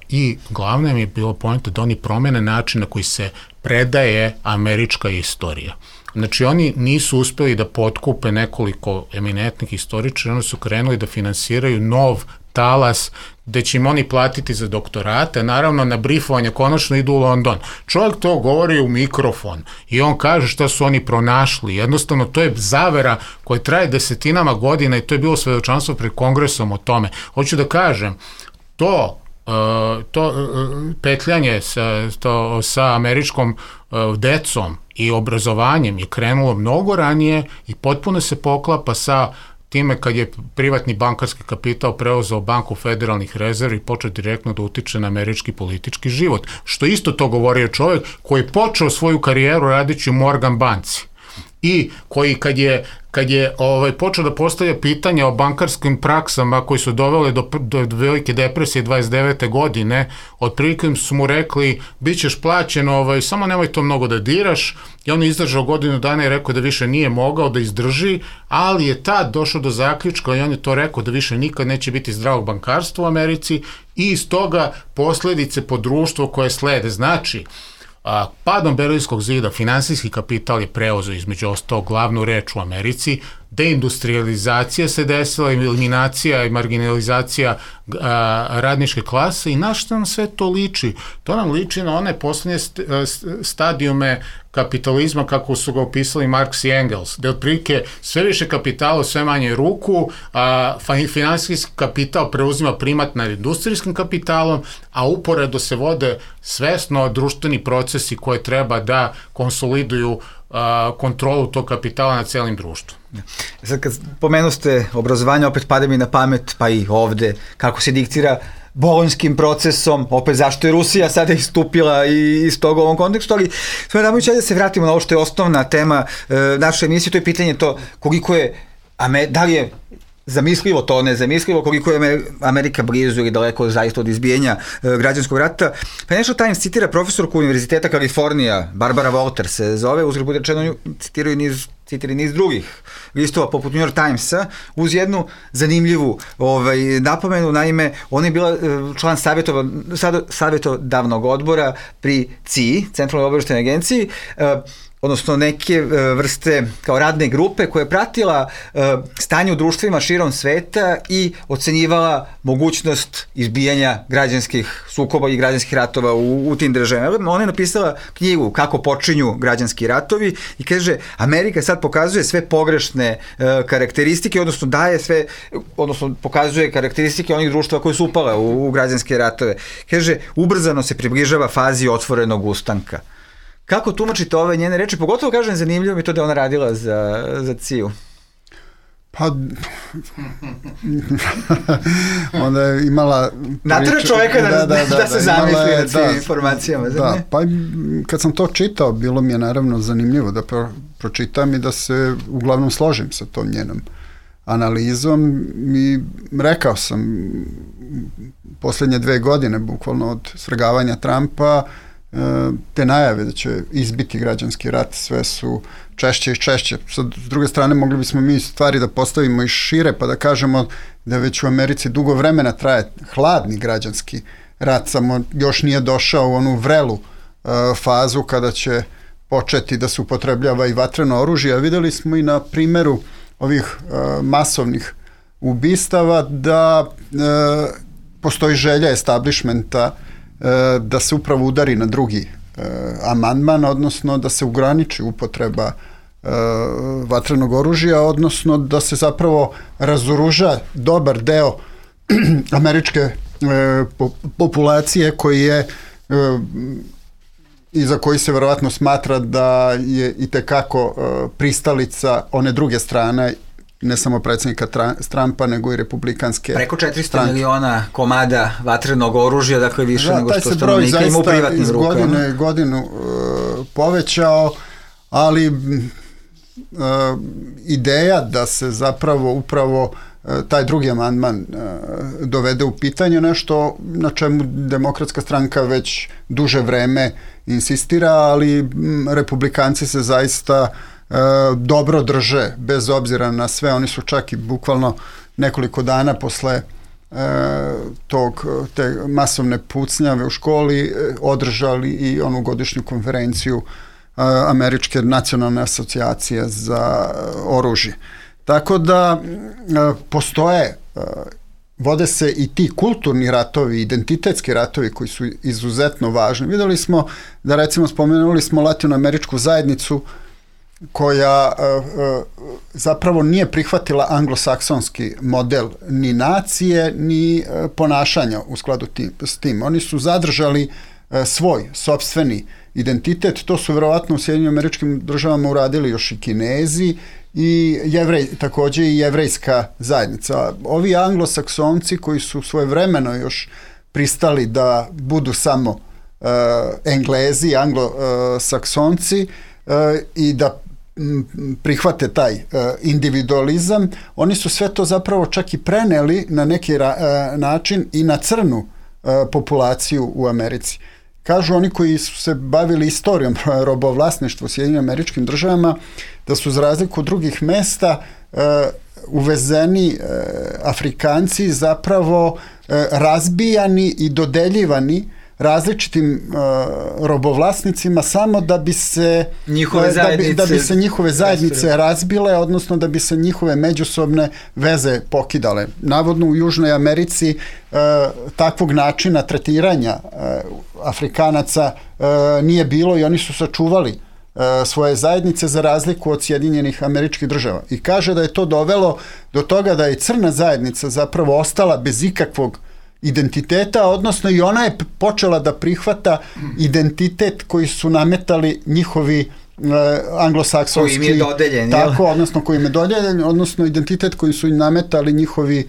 I glavno mi je bilo poenta da oni promene način na koji se predaje američka istorija. Znači, oni nisu uspeli da potkupe nekoliko eminentnih istoričara, oni su krenuli da finansiraju nov talas gde će im oni platiti za doktorate, naravno na brifovanje konačno idu u London. Čovjek to govori u mikrofon i on kaže šta su oni pronašli. Jednostavno, to je zavera koja traje desetinama godina i to je bilo svedočanstvo pred kongresom o tome. Hoću da kažem, to petljanje sa američkom decom i obrazovanjem je krenulo mnogo ranije i potpuno se poklapa sa time kad je privatni bankarski kapital preuzeo banku federalnih rezervi i počeo direktno da utiče na američki politički život. Što isto to govorio čovjek koji je počeo svoju karijeru radići u Morgan banci i koji kad je počeo da postavlja pitanja o bankarskim praksama koji su dovele do velike depresije 29. godine, otprilike su mu rekli bit ćeš plaćen, samo nemoj to mnogo da diraš, i on je izdržao godinu dana i rekao da više nije mogao da izdrži, ali je tad došao do zaključka i on je to rekao da više nikad neće biti zdravog bankarstva u Americi i iz toga posledice po društvo koje slede. Znači, padom Berlinskog zida finansijski kapital je preuzeo između ostalog glavnu reč u Americi, deindustrializacija se desila, eliminacija i marginalizacija radničke klase i na što nam sve to liči? To nam liči na one poslednje stadijume kapitalizma kako su ga opisali Marx i Engels, gde otprilike sve više kapitala, sve manje ruku, finansijski kapital preuzima primat nad industrijskim kapitalom, a uporedo se vode svesno društveni procesi koje treba da konsoliduju kontrolu tog kapitala na celim društvu. Sad kad pomenuste obrazovanje, opet pada mi na pamet, pa i ovde, kako se diktira bolonjskim procesom, opet zašto je Rusija sada istupila iz toga u ovom kontekstu, ali sve da se vratimo na ovo što je osnovna tema naše emisije, to je pitanje to koliko je, da li je zamislivo to, nezamislivo, koliko je Amerika blizu ili daleko zaista od izbijenja građanskog rata. Financial Times citira profesorku Univerziteta Kalifornija, Barbara Walters se zove, uzgled bude rečeno citiraju niz drugih listova poput New York Timesa, uz jednu zanimljivu napomenu. Naime, ona je bila član savjetodavnog odbora pri CIA, Centralnoj obaveštajnoj agenciji, odnosno neke vrste kao radne grupe koja je pratila stanje u društvima širom sveta i ocenjivala mogućnost izbijanja građanskih sukoba i građanskih ratova u tim državama. Ona je napisala knjigu Kako počinju građanski ratovi i kaže, Amerika sad pokazuje sve pogrešne karakteristike, odnosno pokazuje karakteristike onih društva koje su upale u građanske ratove. Kaže, ubrzano se približava fazi otvorenog ustanka. Kako tumačite ove njene reči? Pogotovo, kažem, zanimljivo mi to da ona radila za CIA-u. Pa, onda je imala... Natera čoveka da se zamisli na tim informacijama. Da, pa kad sam to čitao, bilo mi je naravno zanimljivo da pročitam i da se uglavnom složim sa tom njenom analizom i rekao sam poslednje 2 godine, bukvalno od svrgavanja Trumpa, te najave da će izbiti građanski rat sve su češće i češće. S druge strane, mogli bismo mi stvari da postavimo i šire pa da kažemo da već u Americi dugo vremena traje hladni građanski rat, samo još nije došao u onu vrelu fazu kada će početi da se upotrebljava i vatreno oružje. A videli smo i na primeru ovih masovnih ubistava da postoji želja establishmenta da se upravo udari na drugi amandman, odnosno da se ograniči upotreba vatrenog oružja, odnosno da se zapravo razoruža dobar deo američke populacije koji je i za koji se verovatno smatra da je itekako pristalica one druge strane, ne samo predsjednika Trumpa, nego i republikanske preko 400 miliona komada vatrenog oružja, dakle više nego što stanovnika ima u privatnim rukama. Taj se broj zaista iz godinu povećao, ali ideja da se zapravo upravo taj drugi amandman dovede u pitanje, nešto na čemu Demokratska stranka već duže vreme insistira, ali republikanci se zaista dobro drže, bez obzira na sve. Oni su čak i bukvalno nekoliko dana posle te masovne pucnjave u školi održali i onu godišnju konferenciju Američke nacionalne asocijacije za oružje. Tako da postoje, vode se i ti kulturni ratovi, identitetski ratovi koji su izuzetno važni. Videli smo da, recimo, spomenuli smo latinoameričku zajednicu koja zapravo nije prihvatila anglosaksonski model ni nacije, ni ponašanja u skladu s tim. Oni su zadržali svoj sopstveni identitet. To su verovatno u Sjedinjenim Američkim Državama uradili još i Kinezi i takođe i jevrejska zajednica. Ovi anglosaksonci koji su svojevremeno još pristali da budu samo Englezi, anglosaksonci i da prihvate taj individualizam, oni su sve to zapravo čak i preneli na neki način i na crnu populaciju u Americi. Kažu oni koji su se bavili istorijom robovlasništva u Sjedinjenim Američkim Državama da su za razliku od drugih mesta uvezeni Afrikanci zapravo razbijani i dodeljivani različitim robovlasnicima samo da bi se njihove zajednice razbile, odnosno da bi se njihove međusobne veze pokidale. Navodno u Južnoj Americi takvog načina tretiranja Afrikanaca nije bilo i oni su sačuvali svoje zajednice za razliku od Sjedinjenih Američkih Država. I kaže da je to dovelo do toga da je crna zajednica zapravo ostala bez ikakvog identiteta, odnosno i ona je počela da prihvata identitet koji su nametali njihovi anglosaksonski, koji im je dodeljen, tako, odnosno koji im je dodeljen, odnosno identitet koji su im nametali njihovi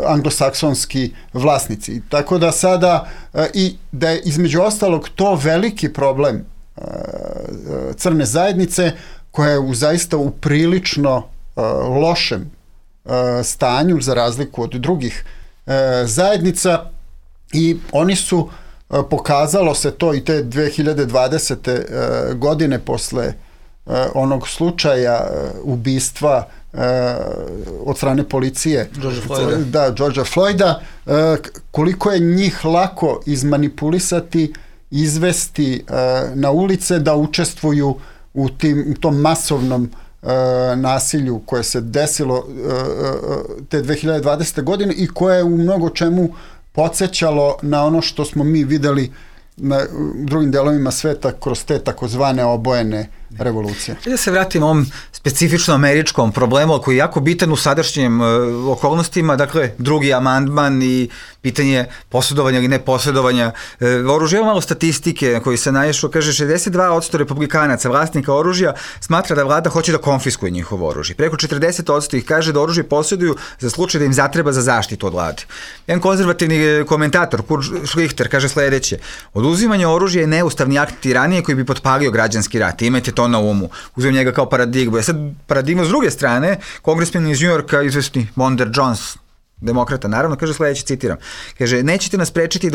anglosaksonski vlasnici. Tako da sada i da je između ostalog to veliki problem crne zajednice koja je zaista u prilično lošem stanju za razliku od drugih zajednica i oni su, pokazalo se to i te 2020. Godine posle onog slučaja ubistva od strane policije Georgea Floyda, koliko je njih lako izmanipulisati, izvesti na ulice da učestvuju u tom masovnom nasilju koje se desilo te 2020. godine i koje je u mnogo čemu podsjećalo na ono što smo mi videli na drugim delovima sveta kroz te takozvane obojene revolucije. Da se vratimo ovom specifično američkom problemu koji je jako bitan u sadašnjim okolnostima, dakle drugi amandman i pitanje posjedovanja ili neposjedovanja oružja. Evo malo statistike na koji se naišlo, kaže 62% republikanaca vlasnika oružja smatra da vlada hoće da konfiskuje njihovo oružje. Preko 40% ih kaže da oružje posjeduju za slučaj da im zatreba za zaštitu od vlade. Jedan konzervativni komentator, Kurt Schlichter, kaže sledeće: oduzimanje oružja je neustavni akt tiranije koji bi potpalio građanski rat. Imajte to na umu. Uzmem njega kao paradigmu. Sad paradigma s druge strane, kongresmen iz Njujorka, izvesni Monder Jones, demokrata, naravno, kaže sledeće, citiram. Kaže, nećete nas sprečiti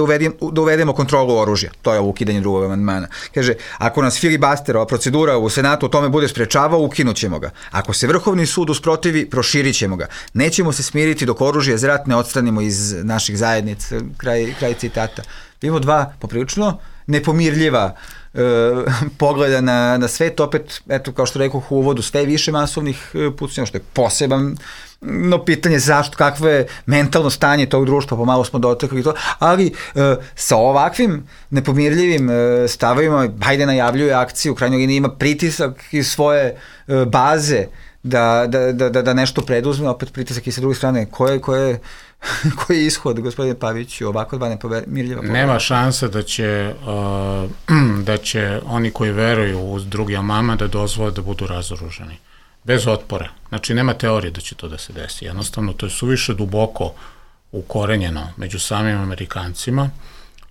da uvedemo kontrolu oružja. To je ovo ukidanje drugog amandmana. Kaže, ako nas filibasterova procedura u Senatu o tome bude sprečavao, ukinut ćemo ga. Ako se Vrhovni sud usprotivi, proširit ćemo ga. Nećemo se smiriti dok oružje za rat ne odstranimo iz naših zajednica. Kraj citata. Imamo dva poprilično nepomirljiva pogleda na svet, opet, eto, kao što rekao u uvodu, sve više masovnih pucnjeva, što je posebno pitanje zašto, kakvo je mentalno stanje tog društva, pomalo smo dotakli to, ali sa ovakvim nepomirljivim stavovima Biden najavljuje akciju, u krajnjoj liniji ima pritisak iz svoje baze da nešto preduzme, opet pritisak i sa druge strane, koji je ishod, gospodine Paviću, ovako dva nepomirljiva pogleda? Nema šanse da će oni koji veruju u drugi amandman da dozvole da budu razoružani. Bez otpora. Znači, nema teorije da će to da se desi. Jednostavno, to je suviše duboko ukorenjeno među samim Amerikancima.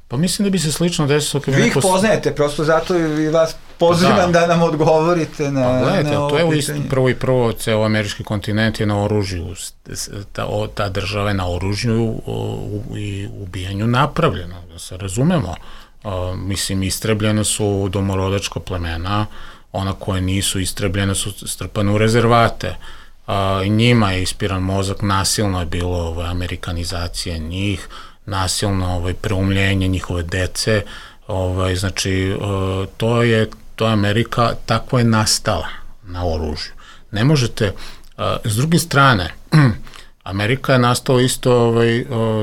Pa mislim da bi se slično desilo... Vi ih poznajete, prosto zato i vas pozivam da nam odgovorite na ovo pitanje. Gledajte, to je prvo ceo američki kontinent je na oružju, ta država je na oružju i ubijanju napravljena, da se razumemo. Mislim, istrebljene su domorodačka plemena, ona koje nisu istrebljene su strpane u rezervate. Njima je ispiran mozak, nasilno je bilo amerikanizacija njih, nasilno preumljenje njihove dece, znači to je to je Amerika, tako je nastala na oružju. Ne možete, s druge strane, Amerika je nastala isto,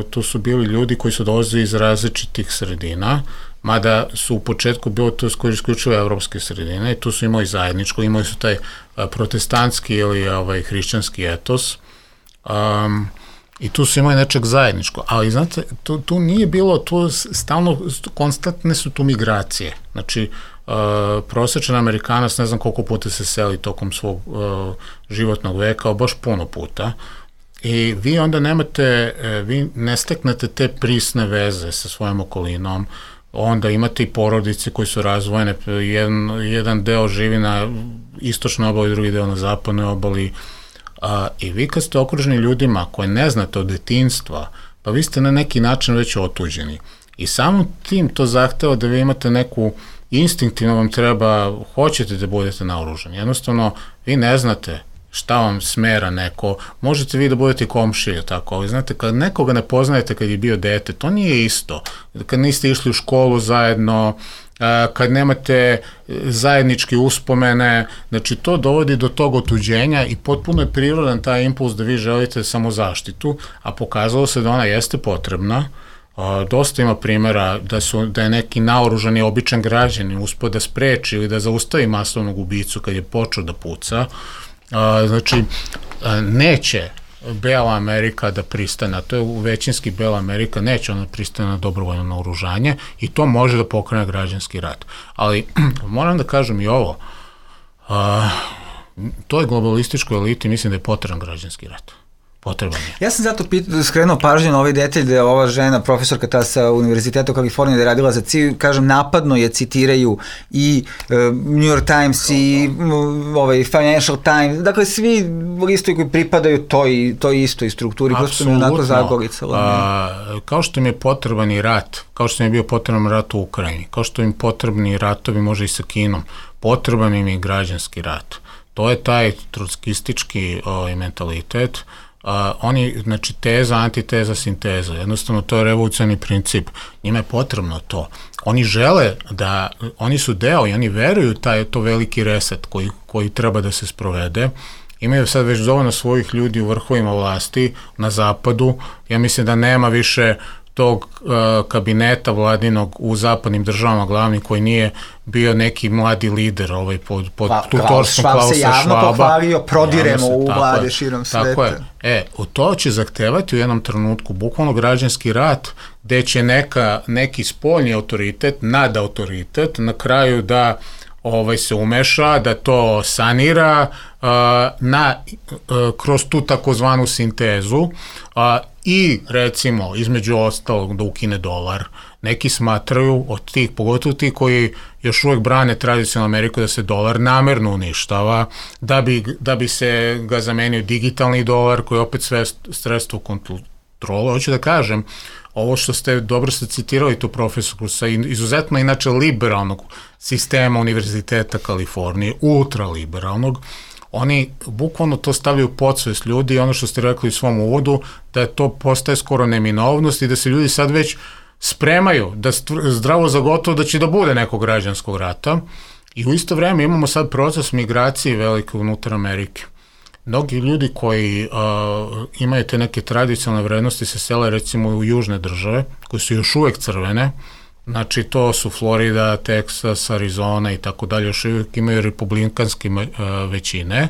tu su bili ljudi koji su dolazili iz različitih sredina, mada su u početku bilo to isključivo evropske sredine i tu su imali zajedničko, imali su taj protestantski ili hrišćanski etos, i tu su imali nečeg zajedničko, ali znate, tu nije bilo, tu stalno, konstantne su tu migracije, znači prosječan Amerikanac ne znam koliko puta se seli tokom svog životnog veka, baš puno puta, i vi onda vi ne steknete te prisne veze sa svojom okolinom, onda imate i porodice koji su razvojene, jedan deo živi na istočnoj obali, drugi deo na zapadnoj obali, i vi kad ste okruženi ljudima koje ne znate od detinjstva, pa vi ste na neki način već otuđeni. I samim tim to zahteva da vi imate neku, instinktivno vam treba, hoćete da budete naoružani. Jednostavno, vi ne znate šta vam smera neko, možete vi da budete komšije, tako, ali znate, kad nekoga ne poznajete kad je bio dete, to nije isto. Kad niste išli u školu zajedno, kad nemate zajedničke uspomene, znači to dovodi do tog otuđenja i potpuno je prirodan taj impuls da vi želite samozaštitu, a pokazalo se da ona jeste potrebna. Dosta ima primjera da je neki naoružani običan građanin uspeo da spreči ili da zaustavi masovnog ubicu kad je počeo da puca. Znači, neće Bela Amerika da pristane, to je većinski Bela Amerika, neće ona pristane na dobrovoljno naoružanje i to može da pokrene građanski rat. Ali moram da kažem i ovo, toj globalističkoj eliti mislim da je potreban građanski rat. Potreban je. Ja sam zato skrenuo pažnju na ovaj detalj da je ova žena, profesorka ta sa Univerziteta u Kaliforniji, da je radila za CIA, kažem, napadno je citiraju i New York Times i Financial Times, dakle svi listovi koji pripadaju toj istoj strukturi, prosto mi je onako zagoricalo. Kao što im je potreban i rat, kao što im je bio potreban rat u Ukrajini, kao što im potrebni ratovi može i sa Kinom, potreban im je građanski rat. To je taj trotskistički mentalitet. Oni, znači teza, antiteza, sinteza, jednostavno to je revolucionarni princip, njima je potrebno to. Oni žele da, oni su deo i oni veruju to veliki reset koji treba da se sprovede. Imaju sad već dovoljno svojih ljudi u vrhovima vlasti na zapadu, ja mislim da nema više tog kabineta vladinog u zapadnim državama glavni koji nije bio neki mladi lider pod tutorstvom Klausa Schwaba. Schwab se javno pohvalio, prodiremo u vlade širom sveta. Tako je. To će zahtevati u jednom trenutku bukvalno građanski rat gde će neki spoljni autoritet, nadautoritet na kraju da se umeša, da to sanira kroz tu takozvanu sintezu i recimo između ostalog da ukine dolar. Neki smatraju od tih, pogotovo ti koji još uvek brane tradicionalnu Ameriku, da se dolar namerno uništava, da bi se ga zamenio digitalni dolar koji je opet sve sredstvo kontrole. Hoću da kažem, ovo što ste dobro citirali tu profesorku sa izuzetno inače liberalnog sistema Univerziteta Kalifornije, ultraliberalnog, oni bukvalno to stavljaju u podsvest ljudi i ono što ste rekli u svom uvodu, da to postaje skoro neminovnost i da se ljudi sad već spremaju da zdravo za gotovo da će da bude nekog građanskog rata i u isto vreme imamo sad proces migracije velike unutar Amerike. Mnogi ljudi koji imaju te neke tradicionalne vrednosti se sele recimo u južne države, koje su još uvek crvene, znači to su Florida, Texas, Arizona i tako dalje, još uvijek imaju republikanske većine,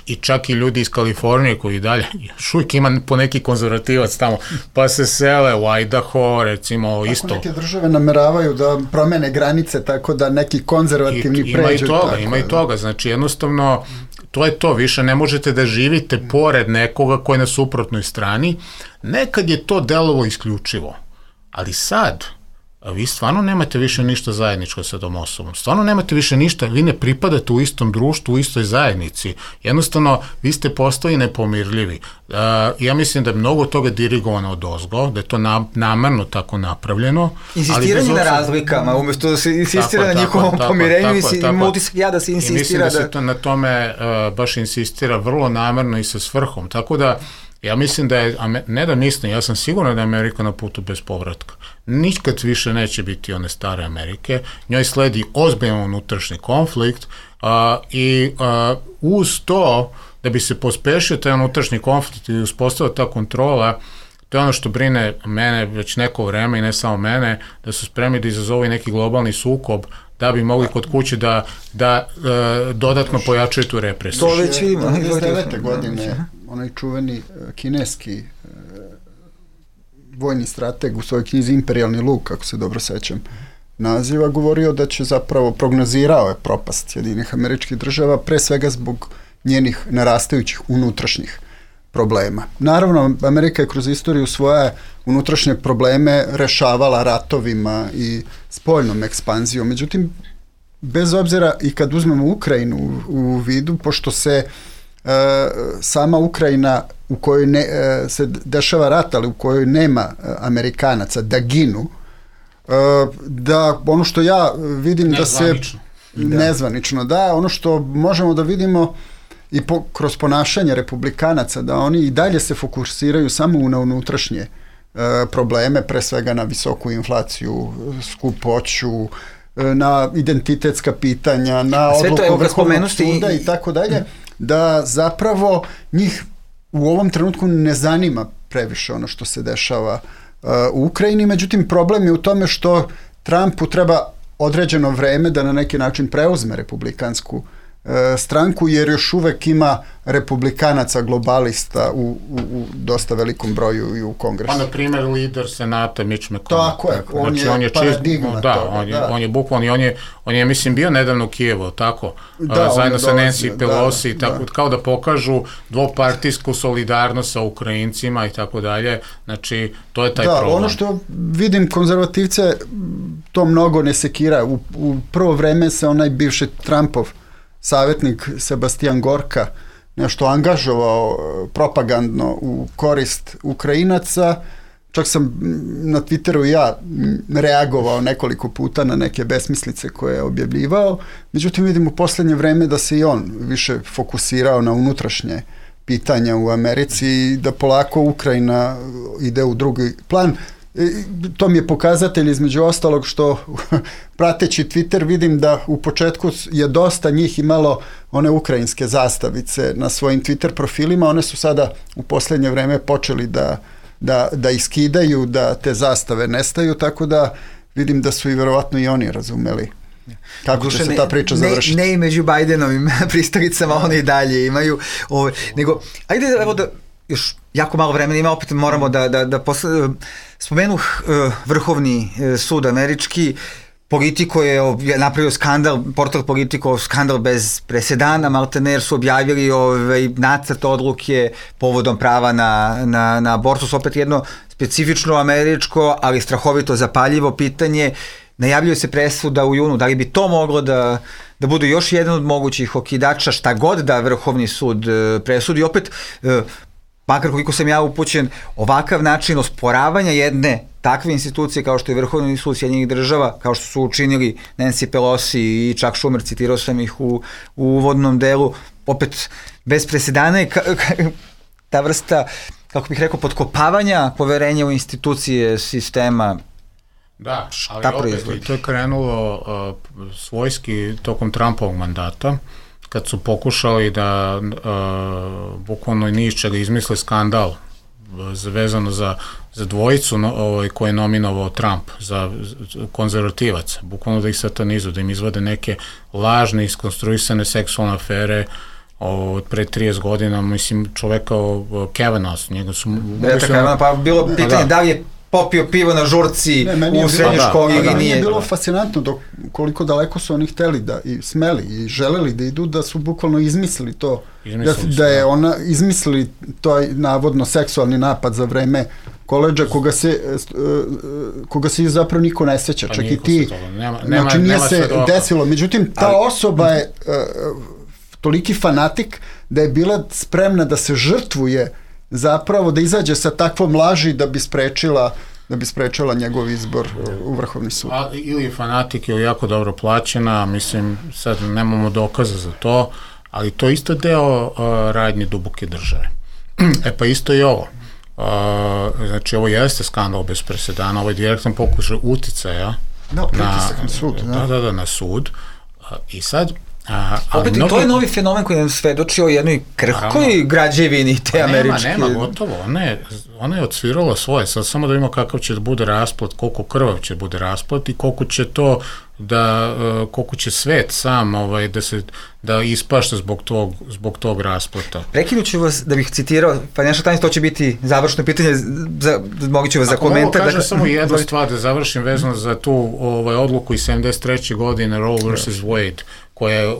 i čak i ljudi iz Kalifornije koji dalje, još uvijek ima po neki konzervativac tamo, pa se sele u Idaho, recimo isto. Ako neke države nameravaju da promene granice tako da neki konzervativni pređu. Ima i toga, znači jednostavno to je to, više ne možete da živite pored nekoga koji je na suprotnoj strani. Nekad je to delovo isključivo, ali sad vi stvarno nemate više ništa zajedničko sa tom osobom. Stvarno nemate više ništa, vi ne pripadate u istom društvu, u istoj zajednici. Jednostavno, vi ste postali nepomirljivi. Ja mislim da je mnogo toga dirigovano od ozgo, da je to namerno tako napravljeno. Insistiranje na razlikama, umjesto da se insistira na njihovom pomirenju i da se insistira. I mislim da se to na tome baš insistira vrlo namerno i sa svrhom. Tako da Ja mislim da je, ne da mislim, ja sam siguran da je Amerika na putu bez povratka. Nikad više neće biti one stare Amerike, njoj sledi ozbiljan unutrašnji konflikt i uz to, da bi se pospešio taj unutrašnji konflikt i uspostavila ta kontrola, to je ono što brine mene već neko vreme i ne samo mene, da su spremni da izazovu neki globalni sukob da bi mogli kod kuće da dodatno pojačaju tu represiju. To već vidimo. 1999. godine onaj čuveni kineski vojni strateg u svojoj knjizi Imperijalni luk, kako se dobro sećam naziva, govorio da će zapravo, prognozirao je propast Sjedinjenih Američkih Država, pre svega zbog njenih narastajućih unutrašnjih problema. Naravno, Amerika je kroz istoriju svoje unutrašnje probleme rešavala ratovima i spoljnom ekspanzijom. Međutim, bez obzira i kad uzmemo Ukrajinu u vidu, pošto se sama Ukrajina u kojoj se dešava rat, ali u kojoj nema Amerikanaca da ginu, da ono što ja vidim da se... Nezvanično, da. Ono što možemo da vidimo i kroz ponašanje republikanaca, da oni i dalje se fokusiraju samo na unutrašnje probleme, pre svega na visoku inflaciju, skupoću, na identitetska pitanja, na odluku Vrhovnog suda i tako dalje, da zapravo njih u ovom trenutku ne zanima previše ono što se dešava u Ukrajini. Međutim, problem je u tome što Trumpu treba određeno vreme da na neki način preuzme republikansku stranku, jer još uvek ima republikanaca globalista u dosta velikom broju i u Kongresu. Pa, na primjer, lider Senata Mitch McConnell. Tako je, on je paradigma toga. On je bukvalno, on je, mislim, bio nedavno u Kijevu, tako? Zajedno sa Nancy Pelosi, tako, kao da pokažu dvopartijsku solidarnost sa Ukrajincima i tako dalje. Znači, to je taj problem. Ono što vidim, konzervativce to mnogo ne sekira. U prvo vreme se onaj bivši Trumpov savjetnik Sebastian Gorka nešto angažovao propagandno u korist Ukrajinaca. Čak sam na Twitteru ja reagovao nekoliko puta na neke besmislice koje je objavljivao. Međutim, vidim u poslednje vreme da se i on više fokusirao na unutrašnje pitanja u Americi i da polako Ukrajina ide u drugi plan. To mi je pokazatelj između ostalog što prateći Twitter vidim da u početku je dosta njih imalo one ukrajinske zastavice na svojim Twitter profilima, one su sada u poslednje vreme počeli da iskidaju, da te zastave nestaju, tako da vidim da su i verovatno i oni razumeli kako će se ta priča završiti. Ne i među Bajdenovim pristalicama, oni i dalje imaju, nego, ajde evo da još jako malo vremena ima, opet moramo da spomenuh Vrhovni sud američki. Politico je napravio skandal, portal Politico, skandal bez presedana, maltene, jer su objavili nacrt odluke povodom prava na abortus, opet jedno specifično američko, ali strahovito zapaljivo pitanje. Najavljuje se presuda u junu, da li bi to moglo da bude još jedan od mogućih okidača, šta god da Vrhovni sud presudi. Opet, makar koliko sam ja upućen, ovakav način osporavanja jedne takve institucije kao što je Vrhovni sud Sjedinjenih Država, kao što su učinili Nancy Pelosi i Chuck Schumer, citirao sam ih u uvodnom delu, opet bez presedana i ta vrsta, kako bih rekao, potkopavanja poverenja u institucije sistema. Da, ali opet i to je krenulo svojski tokom Trumpovog mandata, kad su pokušali da bukvalno ni iz čega izmisle skandal vezano za dvojicu koje je nominovao Trump, za konzervativaca, bukvalno da ih satanizuju, da im izvade neke lažne, iskonstruisane seksualne afere od pre 30 godina, mislim, čoveka Kavanaugh, njega su... Pa bilo pitanje da li je popio pivo na žurci u srednjoj školi ili nije. Meni je bilo fascinantno koliko daleko su oni hteli da i smeli i želeli da idu, da su bukvalno izmislili to, da je ona izmislili to navodno seksualni napad za vreme koledža koga se zapravo niko ne seća, čak i ti. Znači nije se desilo. Međutim, ta osoba je toliki fanatik da je bila spremna da se žrtvuje, zapravo da izađe sa takvom laži da bi sprečila njegov izbor u Vrhovni sud. Ili fanatik ili jako dobro plaćena, mislim, sad nemamo dokaza za to, ali to isto deo radnje duboke države. Pa isto i ovo. Znači, ovo jeste skandal bez presedana, ovo je direktan pokušaj uticaja na sud. I sad, opet i to je novi fenomen koji nam svedoči o jednoj krhkoj građevini te američke. Nema, gotovo. Ona je odsvirala svoje. Sad samo da vidimo kakav će da bude rasplat, koliko krvav će bude rasplat i koliko će to koliko će svet sam da ispašta zbog tog rasplata. Prekinuću vas da bih citirao Financial Times, to će biti završno pitanje, mogu ću vas za komentar. Ako mogu samo jednu stvar da završim vezano za tu odluku iz 73. godine Roe vs. Wade,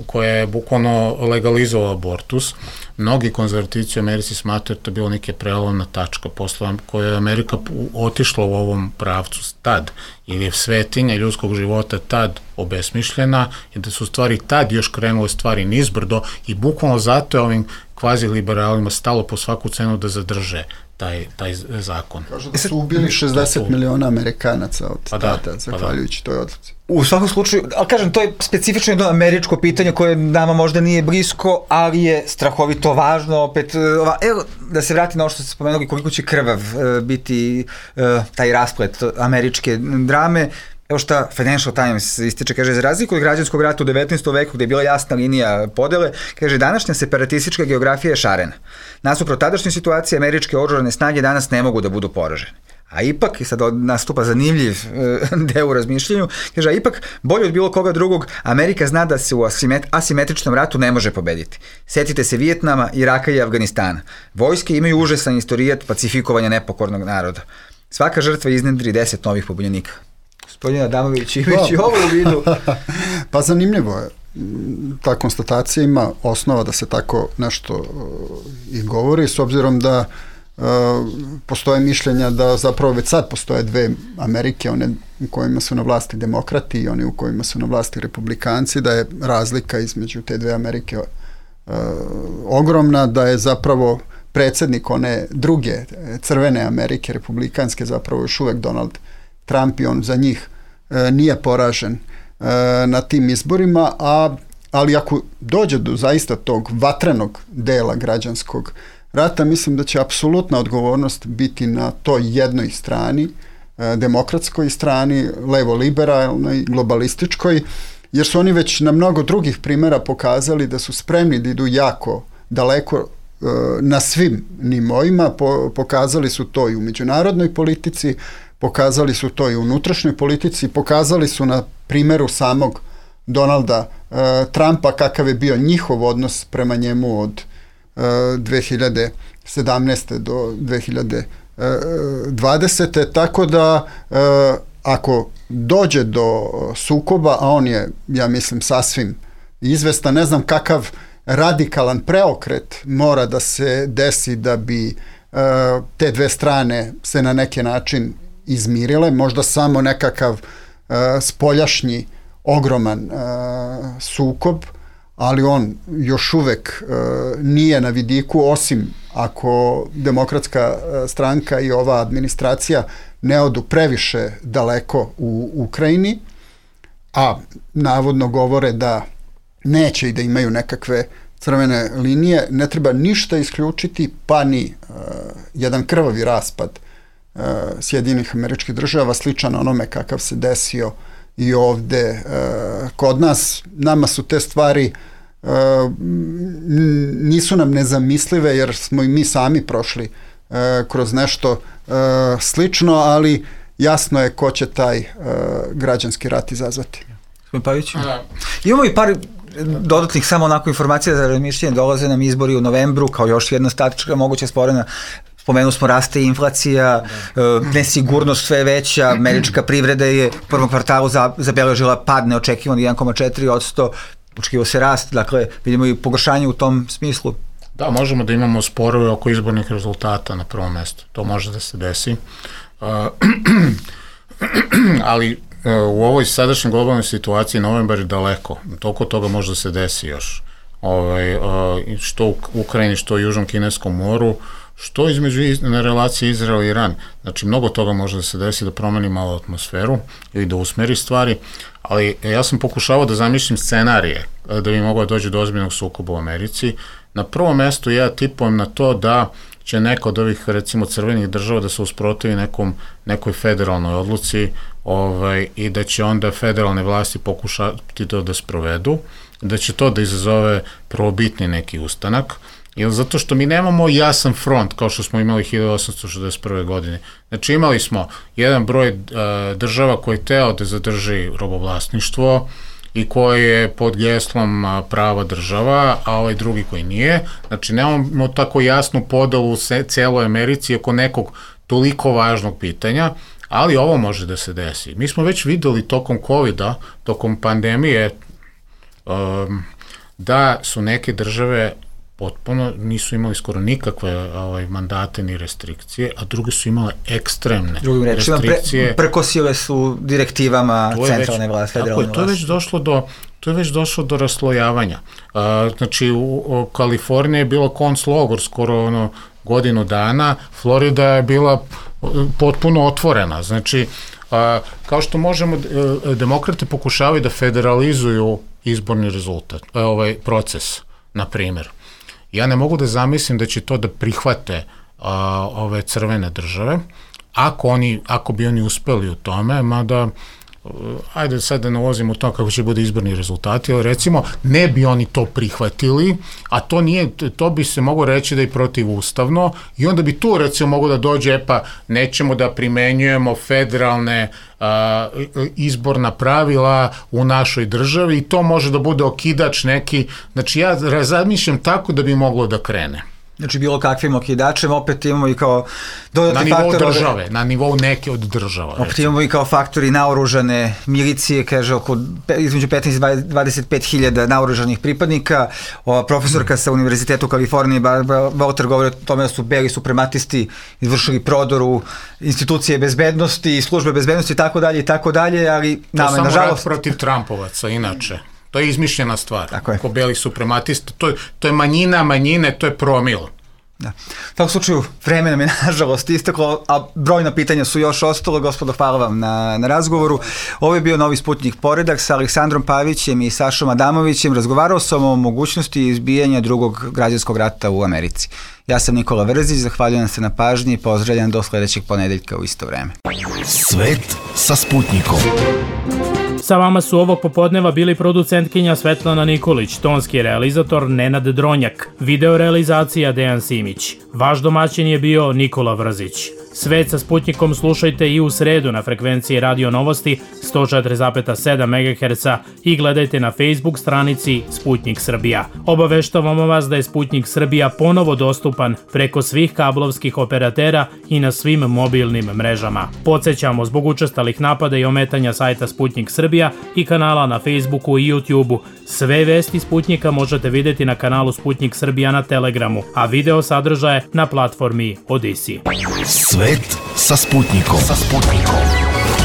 koja je bukvalno legalizovala abortus. Mnogi konzervativci u Americi smatraju da je bilo neke prelomna tačka posle koja je Amerika otišla u ovom pravcu tad, ili je svetinja ljudskog života tad obesmišljena i da su stvari tad još krenule stvari nizbrdo i bukvalno zato je ovim kvazi-liberalima stalo po svaku cenu da zadrže taj zakon. Kažu da su ubili 60 miliona Amerikanaca od tada, zahvaljujući toj odluci. U svakom slučaju, ali kažem, to je specifično jedno američko pitanje koje nama možda nije blisko, ali je strahovito važno. Opet, evo, da se vrati na ovo što ste spomenuli, koliko će krvav biti taj rasplet američke drame. Evo šta Financial Times ističe, kaže, za razliku od građanskog rata u 19. veku gde je bila jasna linija podele, kaže, današnja separatistička geografija je šarena. Nasuprot tadašnje situacije, američke oružane snage danas ne mogu da budu poražene. A ipak, i sad nastupa zanimljiv deo u razmišljenju, kaže, a ipak, bolje od bilo koga drugog, Amerika zna da se u asimetričnom ratu ne može pobediti. Setite se Vijetnama, Iraka i Afganistana. Vojske imaju užasan istorijat pacifikovanja nepokornog naroda. Svaka žrtva iznedri 10 novih pobunjenika. Gospodin Adamović, imajući ovo u vidu. Pa zanimljivo je. Ta konstatacija ima osnova da se tako nešto i govori, s obzirom da postoje mišljenja da zapravo već sad postoje dve Amerike, one u kojima su na vlasti demokrati i one u kojima su na vlasti republikanci, da je razlika između te dve Amerike ogromna, da je zapravo predsjednik one druge crvene Amerike, republikanske, zapravo još uvek Donald Trump i on za njih nije poražen na tim izborima, ali ako dođe do zaista tog vatrenog dela građanskog rata, mislim da će apsolutna odgovornost biti na toj jednoj strani, demokratskoj strani, levo-liberalnoj, globalističkoj, jer su oni već na mnogo drugih primjera pokazali da su spremni da idu jako daleko na svim nivoima, pokazali su to i u međunarodnoj politici, pokazali su to i u unutrašnjoj politici, pokazali su na primjeru samog Donalda Trumpa kakav je bio njihov odnos prema njemu od 2017. do 2020. Tako da ako dođe do sukoba, a on je, ja mislim, sasvim izvestan, ne znam kakav radikalan preokret mora da se desi da bi te dve strane se na neki način izmirile, možda samo nekakav spoljašnji ogroman sukob, ali on još uvek nije na vidiku, osim ako demokratska stranka i ova administracija ne odu previše daleko u Ukrajini, a navodno govore da neće i da imaju nekakve crvene linije, ne treba ništa isključiti, pa ni jedan krvavi raspad Sjedinjenih Američkih Država, sličan onome kakav se desio i ovde kod nas. Nama su te stvari nisu nam nezamislive, jer smo i mi sami prošli kroz nešto slično, ali jasno je ko će taj građanski rat izazvati. Imamo i par dodatnih samo onako informacija za razmišljanje. Dolaze nam izbori u novembru kao još jedna statička moguća sporena. Spomenuli smo, raste inflacija, nesigurnost sve veća, američka privreda je u prvom kvartalu zabeležila pad neočekivan 1,4%, očekivao se rast, dakle vidimo i pogoršanje u tom smislu. Da, možemo da imamo sporove oko izbornih rezultata na prvom mestu, to može da se desi, ali u ovoj sadašnjoj globalnoj situaciji novembar je daleko, toliko toga može da se desi još, što u Ukrajini, što u Južnom Kineskom moru, što na relaciji Izrael i Iran. Znači, mnogo toga može da se desi, da promeni malo atmosferu ili da usmeri stvari, ali ja sam pokušavao da zamišljam scenarije da bi moglo doći do ozbiljnog sukoba u Americi. Na prvom mestu ja tipujem na to da će neka od ovih, recimo, crvenih država da se usprotivi nekoj federalnoj odluci i da će onda federalne vlasti pokušati to da sprovedu, da će to da izazove prvobitni neki ustanak, jer zato što mi nemamo jasan front kao što smo imali 1861. godine. Znači imali smo jedan broj država koji je teo da zadrži robovlasništvo i koji je pod geslom prava država, a ovaj drugi koji nije. Znači nemamo tako jasnu podelu u celoj Americi oko nekog toliko važnog pitanja, ali ovo može da se desi. Mi smo već videli tokom COVID-a, tokom pandemije, da su neke države potpuno nisu imali skoro nikakve mandate ni restrikcije, a druge su imale ekstremne restrikcije. Prkosile su direktivama centralne vlasti, federalne vlasti. To je već došlo do raslojavanja. Znači, u Kaliforniji je bilo konclogor skoro godinu dana, Florida je bila potpuno otvorena. Znači, kao što možemo, demokrate pokušavaju da federalizuju izborni rezultat, proces, na primjer. Ja ne mogu da zamislim da će to da prihvate ove crvene države, ako bi oni uspeli u tome, mada, ajde sad da ne ulazimo u to kako će bude izborni rezultati, ali recimo ne bi oni to prihvatili, a to bi se moglo reći da je protivustavno i onda bi tu recimo moglo da dođe, pa nećemo da primenjujemo federalne izborna pravila u našoj državi i to može da bude okidač neki, znači ja razmišljam tako da bi moglo da krene. Znači bilo kakvim okidačem, opet imamo i kao dodatni faktor... Na nivou države, na nivou neke od država. Opet imamo i kao faktori naoružane milicije, kaže između 15 i 25 hiljada naoružanih pripadnika. Profesorka sa Univerzitetu u Kaliforniji, Walter, govori o tome da su beli suprematisti izvršili prodor u institucije bezbednosti, službe bezbednosti i tako dalje, ali nama je nažalost... To samo rad protiv Trumpovaca, inače. To je izmišljena stvar. Ko beli suprematista, to je manjine, to je promil. Da. U takvom slučaju, vreme nam je nažalost isteklo, a brojna pitanja su još ostalo. Gospodo, hvala vam na razgovoru. Ovo je bio Novi Sputnik Poredak sa Aleksandrom Pavićem i Sašom Adamovićem. Razgovarao sam o mogućnosti izbijanja drugog građanskog rata u Americi. Ja sam Nikola Vrzić, zahvaljujem se na pažnji i pozdravljam do sledećeg ponedeljka u isto vreme. Svet sa Sputnikom. Sa vama su ovog popodneva bili producentkinja Svetlana Nikolić, tonski realizator Nenad Dronjak, video realizacija Dejan Simić. Vaš domaćin je bio Nikola Vrzić. Svet sa Sputnikom slušajte i u sredu na frekvenciji Radio Novosti 104,7 MHz i gledajte na Facebook stranici Sputnik Srbija. Obaveštavamo vas da je Sputnik Srbija ponovo dostupan preko svih kablovskih operatera i na svim mobilnim mrežama. Podsećamo, zbog učestalih napada i ometanja sajta Sputnik Srbija i kanala na Facebooku i YouTubeu, sve vesti Sputnika možete vidjeti na kanalu Sputnik Srbija na Telegramu, a video sadržaje na platformi Odisi. Svet sa Sputnikom.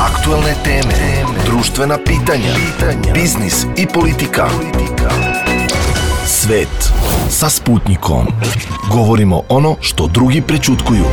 Aktuelne teme, društvena pitanja, biznis i politika. Svet sa Sputnikom. Govorimo ono što drugi prećutkuju.